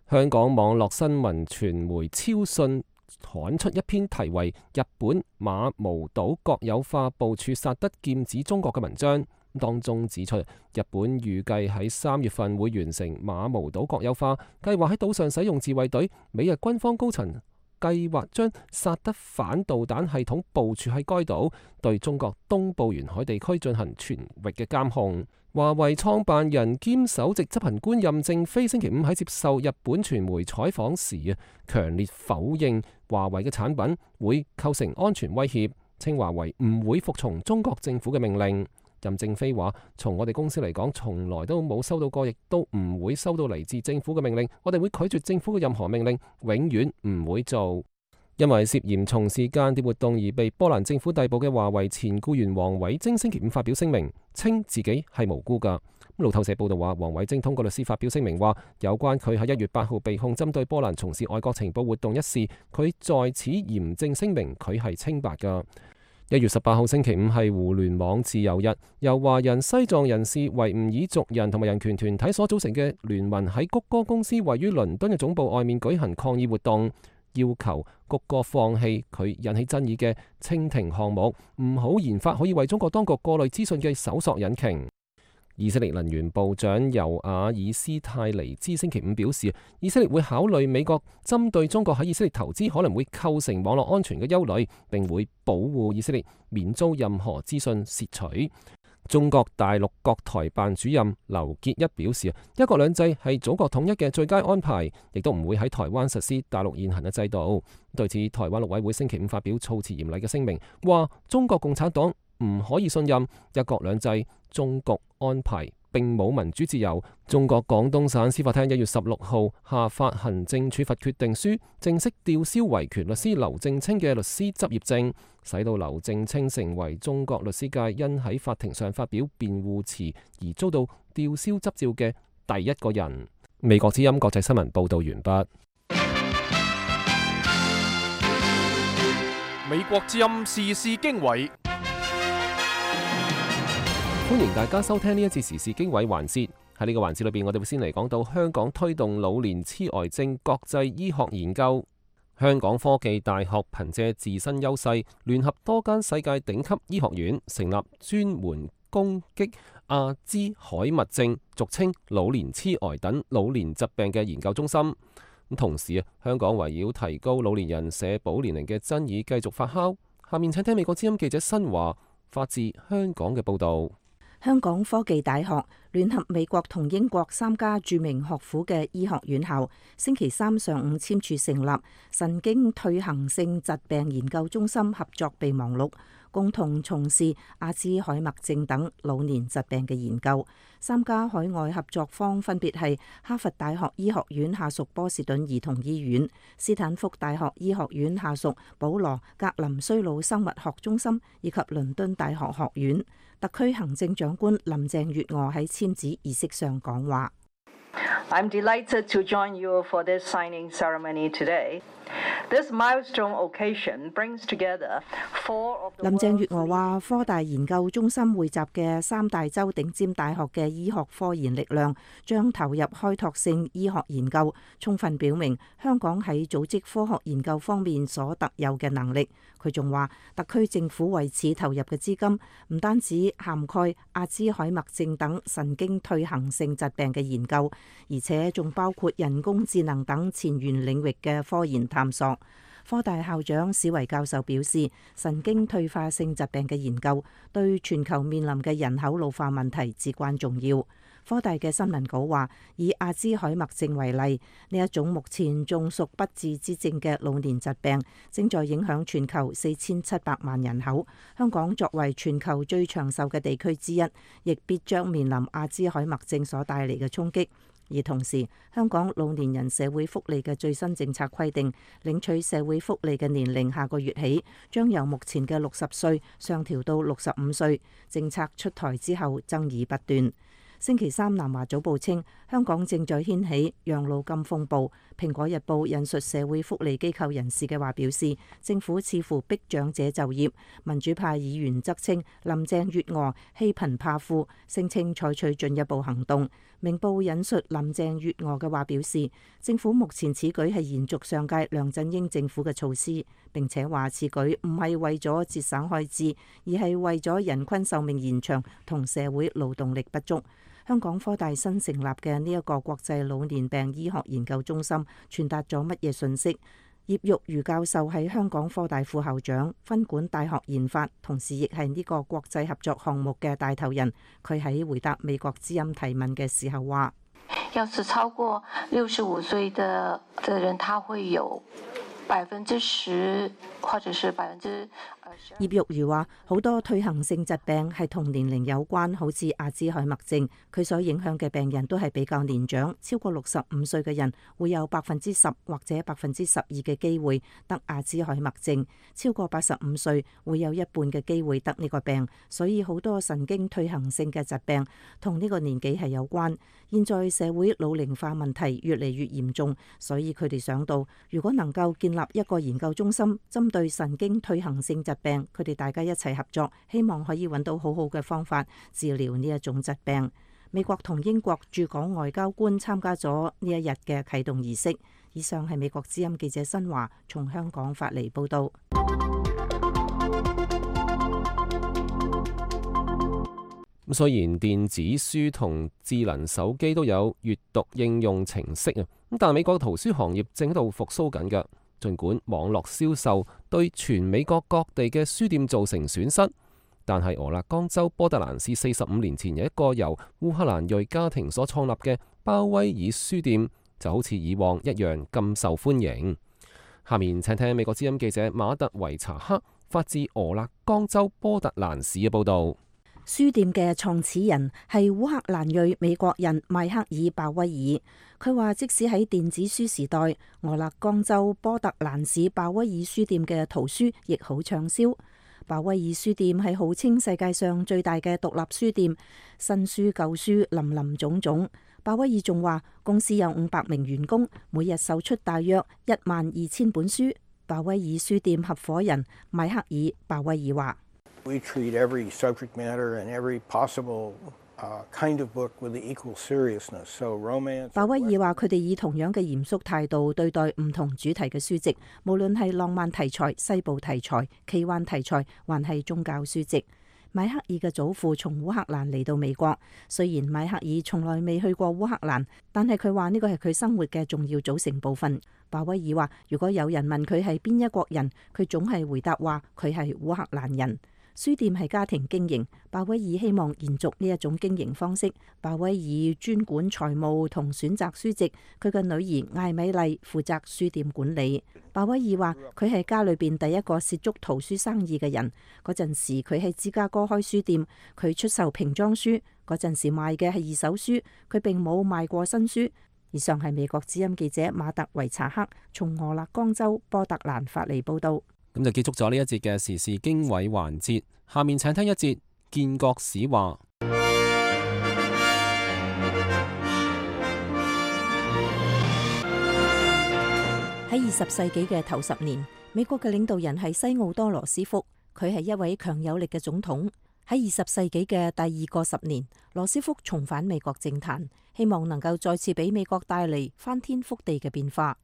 香港網絡新聞傳媒超訊刊出一篇題為《日本馬毛島國有化部署薩德劍指中國》嘅文章，當中指出日本預計喺三月份會完成馬毛島國有化，計劃喺島上使用自衛隊。美日軍方高層計劃將薩德反導彈系統部署喺該島，對中國東部沿海地區進行全域嘅監控。華為創辦人兼首席執行官任正非星期五喺接受日本傳媒採訪時啊，強烈否認華為嘅產品會構成安全威脅，稱華為唔會服從中國政府嘅命令。任正非話：從我哋公司嚟講，從來都冇收到過，亦都唔會收到嚟自政府嘅命令。我哋會拒絕政府嘅任何命令，永遠唔會做。因為涉嫌從事間諜活動而被波蘭政府逮捕嘅華為前僱員王偉晶星期五發表聲明，稱自己係無辜㗎。路透社報道話，王偉晶通過律師發表聲明話，有關佢喺一月八號被控針對波蘭從事外國情報活動一事，佢在此嚴正聲明佢係清白㗎。一月十八號星期五係互聯網自由日，由華人、西藏人士、維吾爾族人同埋人權團體所組成嘅聯盟喺谷歌公司位於倫敦嘅總部外面舉行抗議活動，要求谷歌放棄佢引起爭議嘅蜻蜓項目，唔好研發可以為中國當局過濾資訊嘅搜索引擎。以色列能源部長尤瓦爾斯泰尼茲星期五表示，以色列會考慮美國針對中國喺以色列投資可能會構成網絡安全嘅憂慮，並會保護以色列免遭任何資訊竊取。中國大陸國台辦主任劉結一表示，一國兩制係祖國統一嘅最佳安排，亦都唔會喺台灣實施大陸現行嘅制度。對此，台灣陸委會星期五發表措辭嚴厲嘅聲明，話中國共產黨唔可以信任一國兩制中局安排，並冇民主自由。中國廣東省司法廳一月十六號下發行政處罰決定書，正式吊銷維權律師劉正清嘅律師執業證，使到劉正清成為中國律師界因喺法庭上發表辯護詞而遭到吊銷執照嘅第一個人。美國之音國際新聞報道完畢。美國之音時事經緯，歡迎大家收聽呢一節時事經緯環節。喺呢個環節裏邊，我哋會先嚟講到香港推動老年痴呆症國際醫學研究。香港科技大學憑借自身優勢，聯合多間世界頂級醫學院，成立專門攻擊阿茲海默症，俗稱老年痴呆等老年疾病嘅研究中心。同時啊，香港圍繞提高老年人社保年齡嘅爭議繼續發酵。下面請聽美國之音記者新華發自香港嘅報導。香港科技大學聯合美國同英國三家著名學府嘅醫學院校，星期三上午簽署成立神經退行性疾病研究中心合作備忘錄，共同從事阿茲海默症等老年疾病嘅研究。三家海外合作方分別係哈佛大學醫學院下屬波士頓兒童醫院、斯坦福大學醫學院下屬保羅格林衰老生物學中心以及倫敦大學學院。特區行政長官林鄭月娥喺簽字儀式上講話。I'm delighted to join you for this signing ceremony today. This milestone occasion brings together four of the 林鄭月娥話：科大研究中心匯集嘅三大洲頂尖大學嘅醫學科研力量，將投入開拓性醫學研究，充分表明香港喺組織科學研究方面所特有嘅能力。佢仲話，特區政府為此投入嘅資金唔單止涵蓋阿茲海默症等神經退行性疾病嘅研究，而且仲包括人工智能等前沿領域嘅科研探索。科大校長史維教授表示，神經退化性疾病嘅研究對全球面臨嘅人口老化問題至關重要。科大嘅新聞稿話，以阿茲海默症為例，呢一種目前仲屬不治之症嘅老年疾病，正在影響全球四千七百萬人口。香港作為全球最長壽嘅地區之一，亦必將面臨阿茲海默症所帶嚟嘅衝擊。而同時，香港老年人社會福利嘅最新政策規定，領取社會福利嘅年齡下個月起將由目前嘅六十歲上調到六十五歲。政策出台之後，爭議不斷。星期三，南華早報稱，香港正在掀起養老金風暴。蘋果日報引述社會福利機構人士嘅話表示，政府似乎逼長者就業。民主派議員則稱林鄭月娥欺貧怕富，聲稱採取進一步行動。明報引述林鄭月娥嘅話表示，政府目前此舉係延續上屆梁振英政府嘅措施，並且話此舉唔係為咗節省開支，而係為咗人均壽命延長同社會勞動力不足。香港科大新成立嘅呢一個國際老年病醫學研究中心傳達咗乜嘢信息？葉玉如教授係香港科大副校長，分管大學研發，同時亦係呢個國際合作項目嘅帶頭人。佢喺回答美國之音提問嘅時候話：要是超過六十五歲的的人，他會有百分之十，或者是百分之。葉玉如話：好多退行性疾病係同年齡有關，好似阿茲海默症，佢所影響嘅病人都係比較年長，超過六十五歲嘅人會有百分之十或者百分之十二嘅機會得阿茲海默症，超過八十五歲會有一半嘅機會得呢個病，所以好多神經退行性嘅疾病同呢個年紀係有關。現在社會老齡化問題越嚟越嚴重，所以佢哋想到，如果能夠建立一個研究中心，針對神經退行性疾病，佢哋大家一齊合作，希望可以揾到好好嘅方法治療呢一種疾病。美國同英國駐港外交官參加咗呢一日嘅啟動儀式。以上係美國之音記者新華從香港發嚟報道。咁雖然電子書同智能手機都有閱讀應用程式啊，咁但係美國圖書行業正喺度復甦緊㗎。儘管網絡銷售對全美國各地嘅書店造成損失，但係俄勒岡州波特蘭市四十五年前有一個由烏克蘭裔家庭所創立嘅鮑威爾書店，就好似以往一樣咁受歡迎。下面請聽美國之音記者馬特維查克發自俄勒岡州波特蘭市嘅報導。書店嘅創始人係烏克蘭裔美國人邁克爾·鮑威爾。佢話即使喺電子書時代，俄勒岡州波特蘭市鮑威爾書店嘅圖書亦好暢銷。鮑威爾書店係號稱世界上最大嘅獨立書店，新書舊書林林總總。鮑威爾仲話公司有五百名員工，每日售出大約一萬二千本書。鮑威爾書店合夥人邁克爾·鮑威爾話。We treat every subject matter and every possible uh, kind of book with the equal seriousness. So romance. 鮑威爾話：佢哋以同樣嘅嚴肅態度對待唔同主題嘅書籍，無論係浪漫題材、西部題材、奇幻題材，還係宗教書籍。邁克爾嘅祖父從烏克蘭嚟到美國，雖然邁克爾從來未去過烏克蘭，但係佢話呢個係佢生活嘅重要組成部分。鮑威爾話：如果有人問佢係邊一國人，佢總係回答話佢係烏克蘭人。書店係家庭經營，鮑威爾希望延續呢一種經營方式。鮑威爾專管財務同選擇書籍，佢嘅女兒艾米麗負責書店管理。鮑威爾話：佢係家裏邊第一個涉足圖書生意嘅人。嗰陣時佢喺芝加哥開書店，佢出售瓶裝書，嗰陣時賣嘅係二手書，佢並冇賣過新書。以上係美國之音記者馬特維查克從俄勒岡州波特蘭發嚟報道。咁就結束咗呢一節嘅時事經緯環節，下面請聽一節建國史話。喺二十世紀嘅頭十年，美國嘅領導人係西奧多羅斯福，佢係一位強有力嘅總統。喺二十世紀嘅第二個十年，羅斯福重返美國政壇，希望能夠再次俾美國帶嚟翻天覆地嘅變化。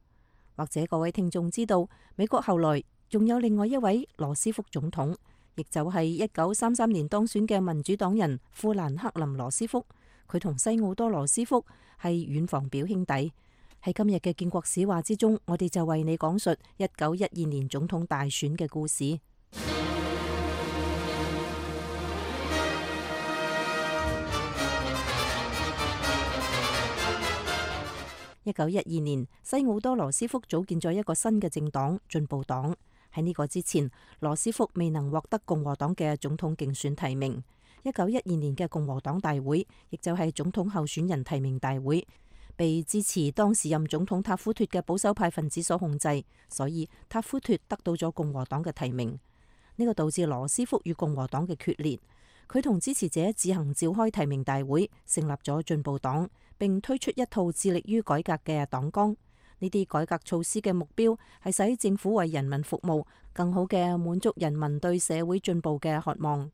或者各位聽眾知道，美國後來仲有另外一位羅斯福總統，亦就係一九三三年當選嘅民主黨人富蘭克林羅斯福。佢同西奧多羅斯福係遠房表兄弟。喺今日嘅建國史話之中，我哋就為你講述一九一二年總統大選嘅故事。一九一二年，西奧多羅斯福組建咗一個新嘅政黨進步黨。喺呢個之前，羅斯福未能獲得共和黨嘅總統競選提名。一九一二年嘅共和黨大會，亦就係總統候選人提名大會，被支持當時任總統塔夫脫嘅保守派分子所控制，所以塔夫脫得到咗共和黨嘅提名。呢個導致羅斯福與共和黨嘅決裂，佢同支持者自行召開提名大會，成立咗進步黨，並推出一套致力於改革嘅黨綱。呢啲改革措施嘅目標係使政府為人民服務，更好嘅滿足人民對社會進步嘅渴望。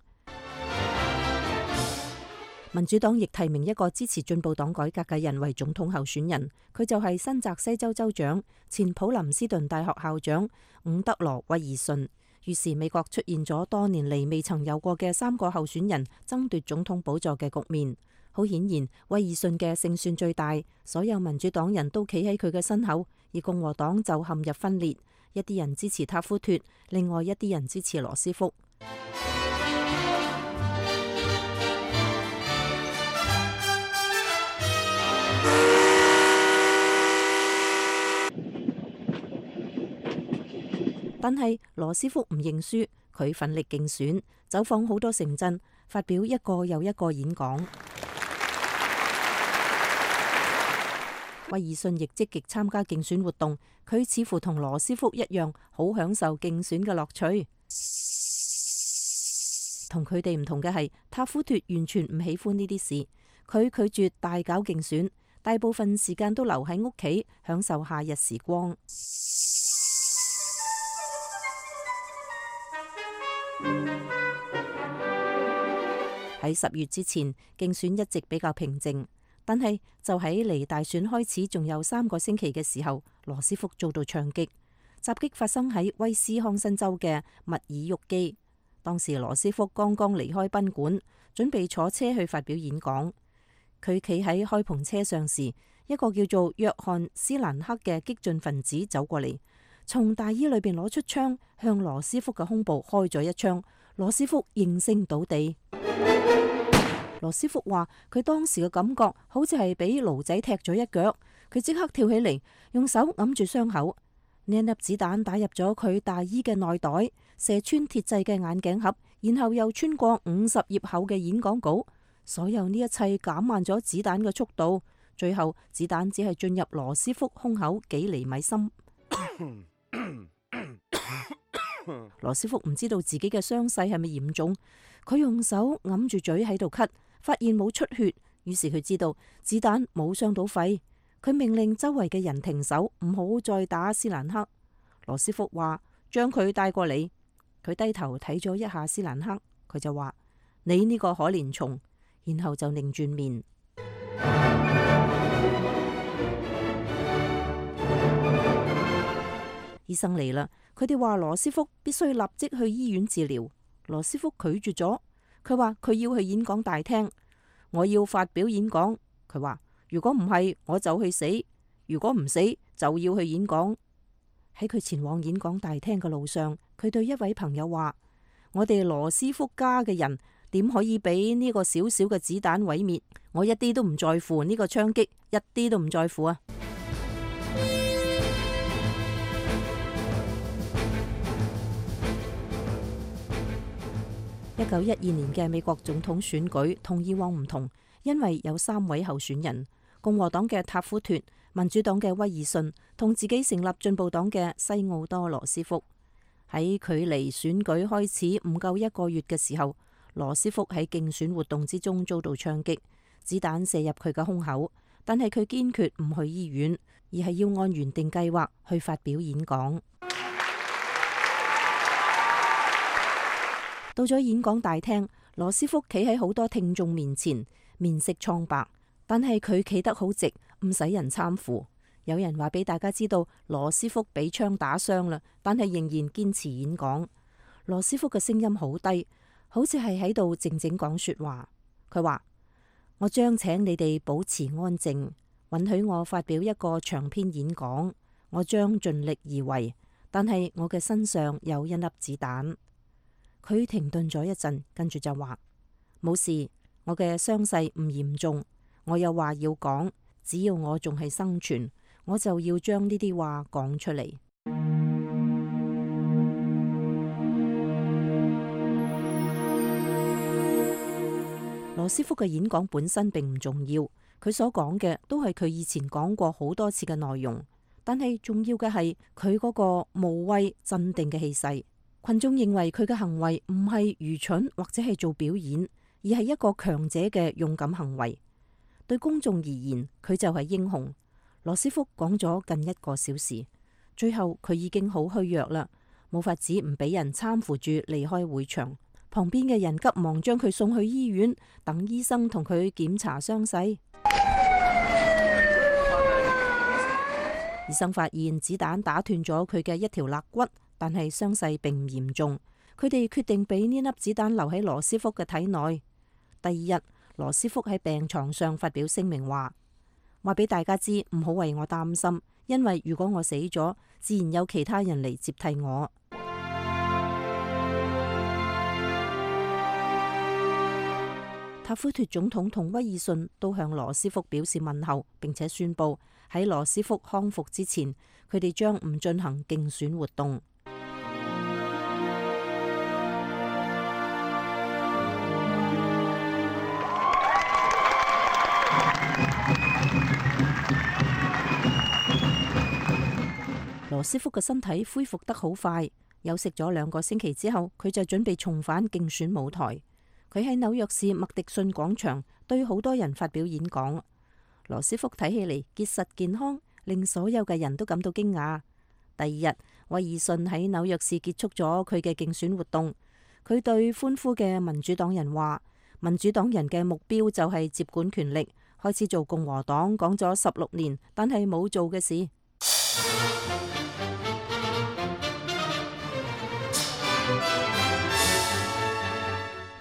民主黨亦提名一個支持進步黨改革嘅人為總統候選人，佢就係新澤西州州長、前普林斯頓大學校長伍德羅·威爾遜。於是美國出現咗多年嚟未曾有過嘅三個候選人爭奪總統寶座嘅局面。好顯然，威爾遜嘅勝算最大，所有民主黨人都企喺佢嘅身後，而共和黨就陷入分裂，一啲人支持塔夫脫，另外一啲人支持羅斯福。但係羅斯福唔認輸，佢奮力競選，走訪好多城鎮，發表一個又一個演講。威爾遜亦積極參加競選活動，佢似乎同羅斯福一樣，好享受競選嘅樂趣。同佢哋唔同嘅係，塔夫脫完全唔喜歡呢啲事，佢拒絕大搞競選，大部分時間都留喺屋企享受夏日時光。喺十月之前，競選一直比較平靜。但係就喺離大選開始仲有三個星期嘅時候，羅斯福遭到槍擊。襲擊發生喺威斯康辛州嘅密爾沃基。當時羅斯福剛剛離開賓館，準備坐車去發表演講。佢企喺開篷車上時，一個叫做約翰斯蘭克嘅激進分子走過嚟，從大衣裏邊攞出槍，向羅斯福嘅胸部開咗一槍。羅斯福應聲倒地。羅斯福話佢當時嘅感覺好似係俾驢仔踢咗一腳，佢即刻跳起嚟，用手揞住傷口。呢粒子彈打入咗佢大衣嘅內袋，射穿鐵製嘅眼鏡盒，然後又穿過五十頁厚嘅演講稿。所有呢一切減慢咗子彈嘅速度，最後子彈只係進入羅斯福胸口幾厘米深。羅斯福唔知道自己嘅傷勢係咪嚴重，佢用手揞住嘴喺度咳，發現冇出血，於是佢知道子彈冇傷到肺。佢命令周圍嘅人停手，唔好再打斯蘭克。羅斯福話：將佢帶過嚟。佢低頭睇咗一下斯蘭克，佢就話：你呢個可憐蟲，然後就擰轉面。醫生嚟啦，佢哋話羅斯福必須立即去醫院治療。羅斯福拒絕咗，佢話佢要去演講大廳，我要發表演講。佢話如果唔係，我就去死；如果唔死，就要去演講。喺佢前往演講大廳嘅路上，佢對一位朋友話：我哋羅斯福家嘅人點可以俾呢個小小嘅子彈毀滅？我一啲都唔在乎呢個槍擊，一啲都唔在乎啊！一九一二年嘅美國總統選舉同以往唔同，因為有三位候選人：共和黨嘅塔夫脫、民主黨嘅威爾遜同自己成立進步黨嘅西奧多羅斯福。喺距離選舉開始唔夠一個月嘅時候，羅斯福喺競選活動之中遭到槍擊，子彈射入佢嘅胸口，但係佢堅決唔去醫院，而係要按原定計劃去發表演講。到咗演講大廳，羅斯福企喺好多聽眾面前，面色蒼白，但係佢企得好直，唔使人攙扶。有人話俾大家知道羅斯福俾槍打傷啦，但係仍然堅持演講。羅斯福嘅聲音好低，好似係喺度靜靜講說話。佢話：我將請你哋保持安靜，允許我發表一個長篇演講。我將盡力而為，但係我嘅身上有一粒子彈。佢停頓咗一陣，跟住就話：冇事，我嘅傷勢唔嚴重。我有話要講，只要我仲係生存，我就要將呢啲話講出嚟。羅斯福嘅演講本身並唔重要，佢所講嘅都係佢以前講過好多次嘅內容，但係重要嘅係佢嗰個無畏鎮定嘅氣勢。群眾認為佢嘅行為唔係愚蠢或者係做表演，而係一個強者嘅勇敢行為。對公眾而言，佢就係英雄。羅斯福講咗近一個小時，最後佢已經好虛弱啦，冇法子唔俾人攙扶住離開會場。旁邊嘅人急忙將佢送去醫院，等醫生同佢檢查傷勢。醫生發現子彈打斷咗佢嘅一條肋骨，但係傷勢並唔嚴重。佢哋決定俾呢粒子彈留喺羅斯福嘅體內。第二日，羅斯福喺病床上發表聲明話：話俾大家知，唔好為我擔心，因為如果我死咗，自然有其他人嚟接替我。塔夫脫總統同威爾遜都向羅斯福表示問候，並且宣布喺羅斯福康復之前，佢哋將唔進行競選活動。羅斯福嘅身體恢復得好快，休息咗兩個星期之後，佢就準備重返競選舞台。佢喺紐約市麥迪遜廣場對好多人發表演講。羅斯福睇起嚟結實健康，令所有嘅人都感到驚訝。第二日，威爾遜喺紐約市結束咗佢嘅競選活動。佢對歡呼嘅民主黨人話：民主黨人嘅目標就係接管權力，開始做共和黨講咗十六年但係冇做嘅事。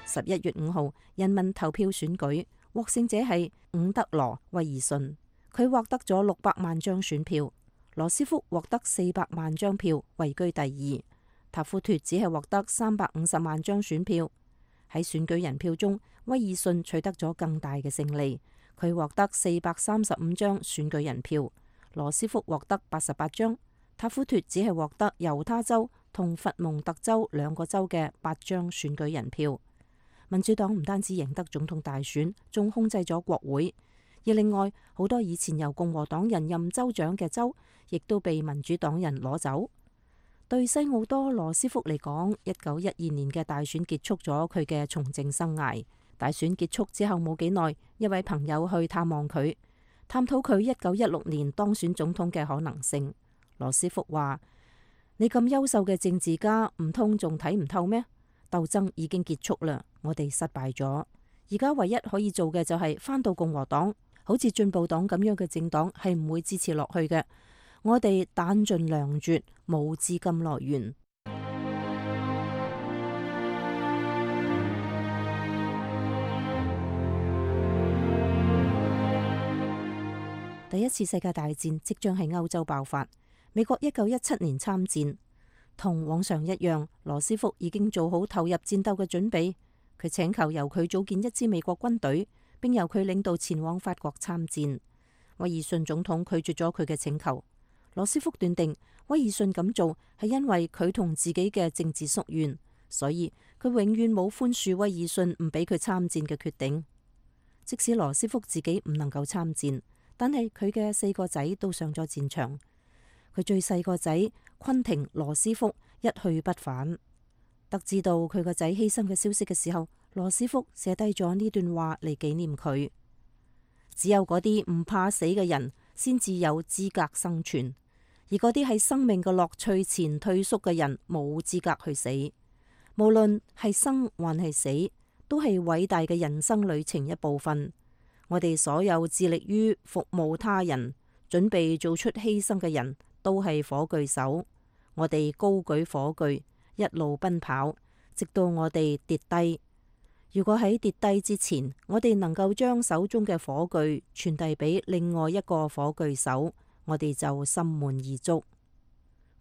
十一月五號，人民投票選舉，獲勝者係伍德羅威爾遜，佢獲得咗六百萬張選票。羅斯福獲得四百萬張票，位居第二。塔夫脫只係獲得三百五十萬張選票。喺選舉人票中，威爾遜取得咗更大嘅勝利，佢獲得四百三十五張選舉人票，羅斯福獲得八十八張。塔夫脫只係獲得猶他州同佛蒙特州兩個州嘅八張選舉人票。民主黨唔單止贏得總統大選，仲控制咗國會。而另外好多以前由共和黨人任州長嘅州，亦都被民主黨人攞走。對西奧多羅斯福嚟講，一九一二年嘅大選結束咗佢嘅從政生涯。大選結束之後冇幾耐，一位朋友去探望佢，探討佢一九一六年當選總統嘅可能性。羅斯福話：你咁優秀嘅政治家，唔通仲睇唔透咩？鬥爭已經結束啦，我哋失敗咗。而家唯一可以做嘅就係返到共和黨，好似進步黨咁樣嘅政黨係唔會支持落去嘅。我哋彈盡糧絕，冇資金來源。第一次世界大戰即將喺歐洲爆發。美國一九一七年參戰，同往常一樣，羅斯福已經做好投入戰鬥嘅準備。佢請求由佢組建一支美國軍隊，並由佢領導前往法國參戰。威爾遜總統拒絕咗佢嘅請求。羅斯福斷定威爾遜咁做係因為佢同自己嘅政治宿怨，所以佢永遠冇寬恕威爾遜唔俾佢參戰嘅決定。即使羅斯福自己唔能夠參戰，但係佢嘅四個仔都上咗戰場。佢最細個仔昆廷羅斯福一去不返。得知到佢個仔犧牲嘅消息嘅時候，羅斯福寫低咗呢段話嚟紀念佢。只有嗰啲唔怕死嘅人先至有資格生存，而嗰啲喺生命嘅樂趣前退縮嘅人冇資格去死。無論係生還係死，都係偉大嘅人生旅程一部分。我哋所有致力於服務他人、準備做出犧牲嘅人都係火炬手。我哋高舉火炬，一路奔跑，直到我哋跌低。如果喺跌低之前，我哋能夠將手中嘅火炬傳遞俾另外一個火炬手，我哋就心滿意足。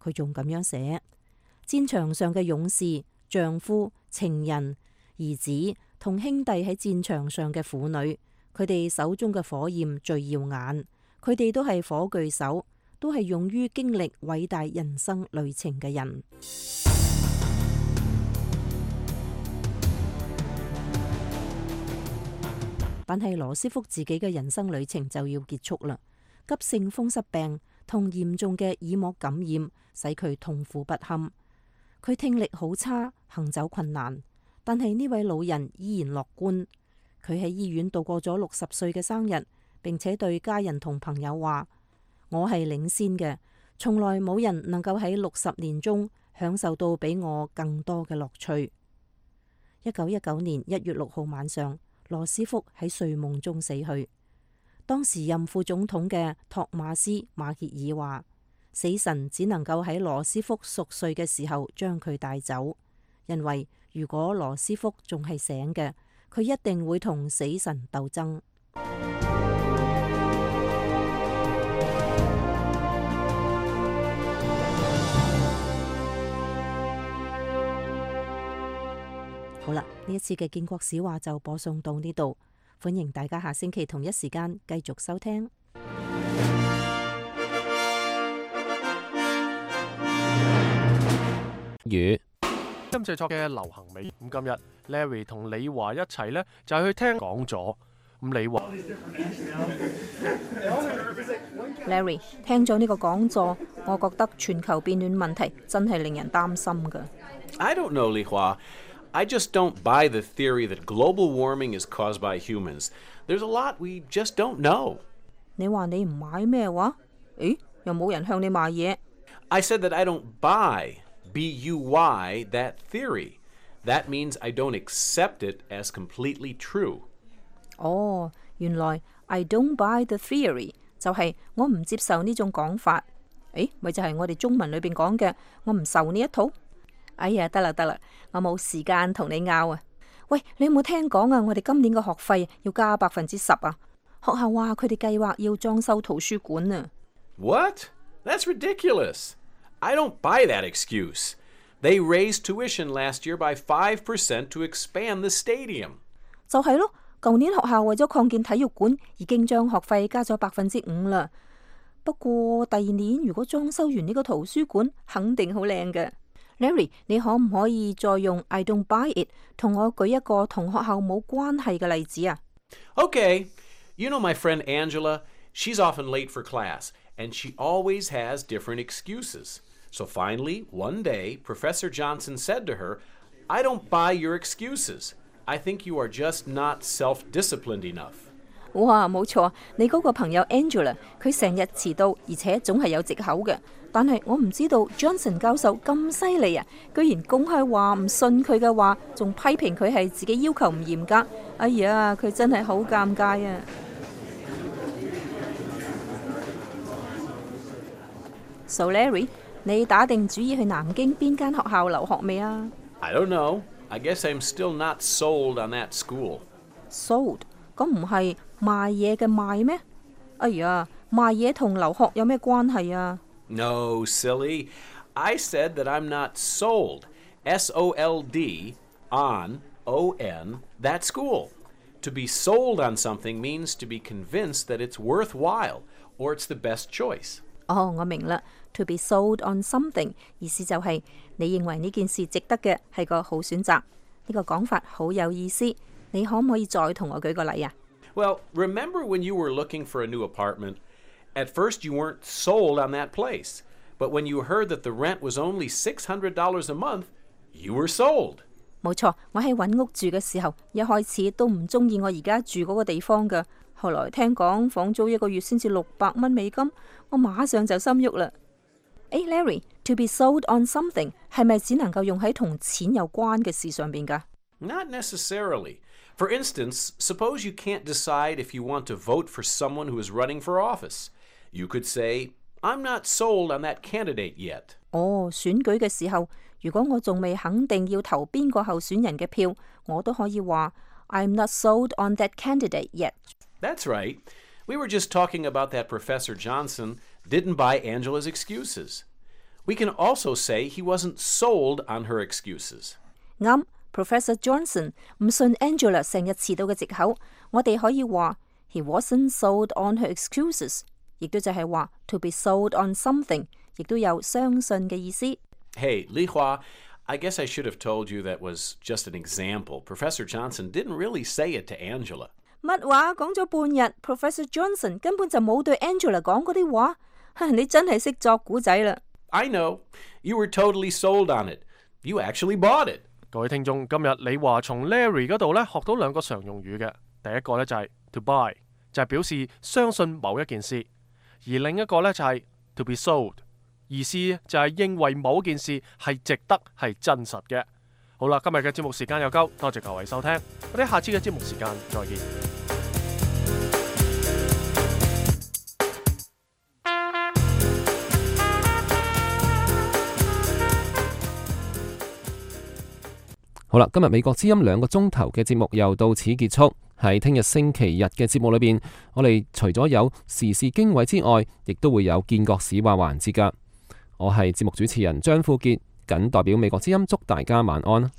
佢仲咁樣寫：戰場上嘅勇士、丈夫、情人、兒子同兄弟喺戰場上嘅婦女，佢哋手中嘅火焰最耀眼。佢哋都係火炬手，都係勇於經歷偉大人生旅程嘅人。但係羅斯福自己嘅人生旅程就要結束啦。急性風濕病同嚴重嘅耳膜感染使佢痛苦不堪，佢聽力好差，行走困難。但係呢位老人依然樂觀。佢喺醫院度過咗六十歲嘅生日，並且對家人同朋友話：我係領先嘅，從來冇人能夠喺六十年中享受到比我更多嘅樂趣。一九一九年一月六號晚上，羅斯福喺睡夢中死去。當時任副總統嘅托馬斯馬歇爾話：死神只能夠喺羅斯福熟睡嘅時候將佢帶走，因為如果羅斯福仲係醒嘅，佢一定會同死神鬥爭。好啦，呢一次嘅建國史話就播送到呢度，歡迎大家下星期同一時間繼續收聽。語今製作嘅流行美，咁今日 Larry 同李華一齊呢，就係去聽講座。咁李華 Larry 聽咗呢個講座，我覺得全球變暖問題真係令人擔心㗎。I don't know, Li Hua. I just don't buy the theory that global warming is caused by humans. There's a lot we just don't know. 你話你唔買咩話？誒，又冇人向你賣嘢。I said that I don't buy, B U Y, that theory. That means I don't accept it as completely true. 哦，原來 I don't buy the theory 就係我唔接受呢種講法。誒，咪就係我哋中文裏邊講嘅，我唔受呢一套。哎呀，得啦得啦，我冇時間同你拗啊！喂，你有冇聽講啊？我哋今年嘅學費要加百分之十啊！學校話佢哋計劃要裝修圖書館啊！ What? That's ridiculous. I don't buy that excuse. They raised tuition last year by five percent to expand the stadium. 就係咯，舊年學校為咗擴建體育館，已經將學費加咗百分之五啦。不過第二年如果裝修完呢個圖書館，肯定好靚嘅。Larry， 你可唔可以再用 I don't buy it 同我舉一個同學校冇關係嘅例子啊？ Okay, you know my friend Angela? She's often late for class, and she always has different excuses. So finally, one day, Professor Johnson said to her, I don't buy your excuses. I think you are just not self-disciplined enough. 哇，冇錯，你嗰個朋友 Angela， 佢成日遲到，而且總係有藉口嘅。但係我唔知道 Johnson 教授咁犀利啊，居然公開話唔信佢嘅話，仲批評佢係自己要求唔嚴格。哎呀，佢真係好尷尬啊！ So Larry， 你打定主意去南京邊間學校留學未啊？ I don't know. I guess I'm still not sold on that school. Sold？ 咁唔係賣嘢嘅賣咩？哎呀，賣嘢同留學有咩關係啊？ No, silly. I said that I'm not sold, S O L D, on, O N, that school. To be sold on something means to be convinced that it's worthwhile or it's the best choice. 哦，我明啦。To be sold on something 意思就係你認為呢件事值得嘅係個好選擇。呢個講法好有意思。你可唔可以再同我舉個例啊？ Well, remember when you were looking for a new apartment? At first you weren't sold on that place. But when you heard that the rent was only six hundred dollars a month, you were sold. 冇錯，我喺揾屋住嘅時候，一開始都唔中意我而家住嗰個地方㗎。後來聽講房租一個月先至六百蚊美金，我馬上就心喐啦。誒 Larry，to be sold on something 係咪只能夠用喺同錢有關嘅事上邊㗎？ Not necessarily. For instance, suppose you can't decide if you want to vote for someone who is running for office. You could say, I'm not sold on that candidate yet. 哦，選舉嘅時候，如果我仲未肯定要投邊個候選人嘅票，我都可以話 I'm not sold on that candidate yet. That's right. We were just talking about that Professor Johnson didn't buy Angela's excuses. We can also say he wasn't sold on her excuses. 啱 ，Professor Johnson 唔信 Angela 成日遲到嘅藉口，我哋可以話 He wasn't sold on her excuses， 亦都就係話 to be sold on something， 亦都有相信嘅意思。Hey, Li Hua, I guess I should have told you that was just an example. Professor Johnson didn't really say it to Angela. 乜話講咗半日 ，Professor Johnson 根本就冇對 Angela 講嗰啲話，你真係識作古仔啦。I know. You were totally sold on it. You actually bought it. 各位聽眾，今日李華從 Larry 嗰度咧學到兩個常用語嘅，第一個咧就係 to buy， 就係表示相信某一件事，而另一個咧就係 to be sold， 意思就係認為某件事係值得係真實嘅。好啦，今日嘅節目時間又夠，多謝各位收聽，我哋下次嘅節目時間再見。好啦，今日美國之音兩個鐘頭嘅節目又到此結束。喺聽日星期日嘅節目裏邊，我哋除咗有時事經緯之外，亦都會有見國史話環節㗎。我係節目主持人張富傑，謹代表美國之音祝大家晚安。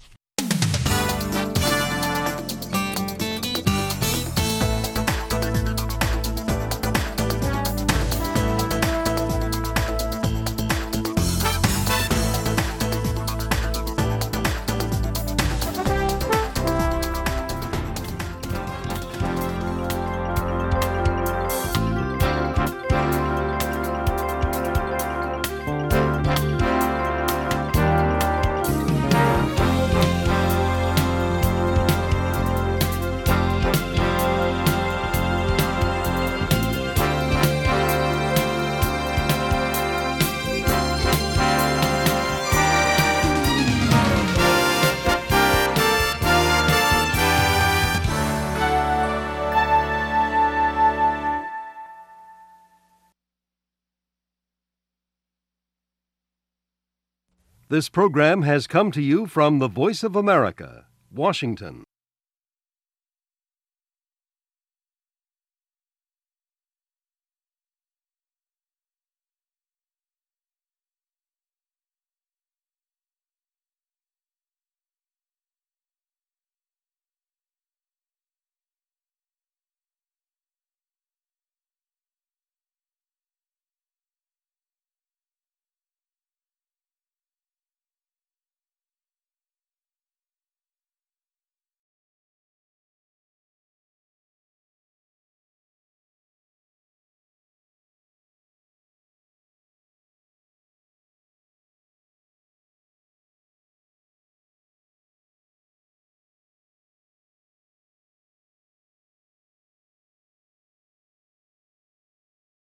This program has come to you from the Voice of America, Washington.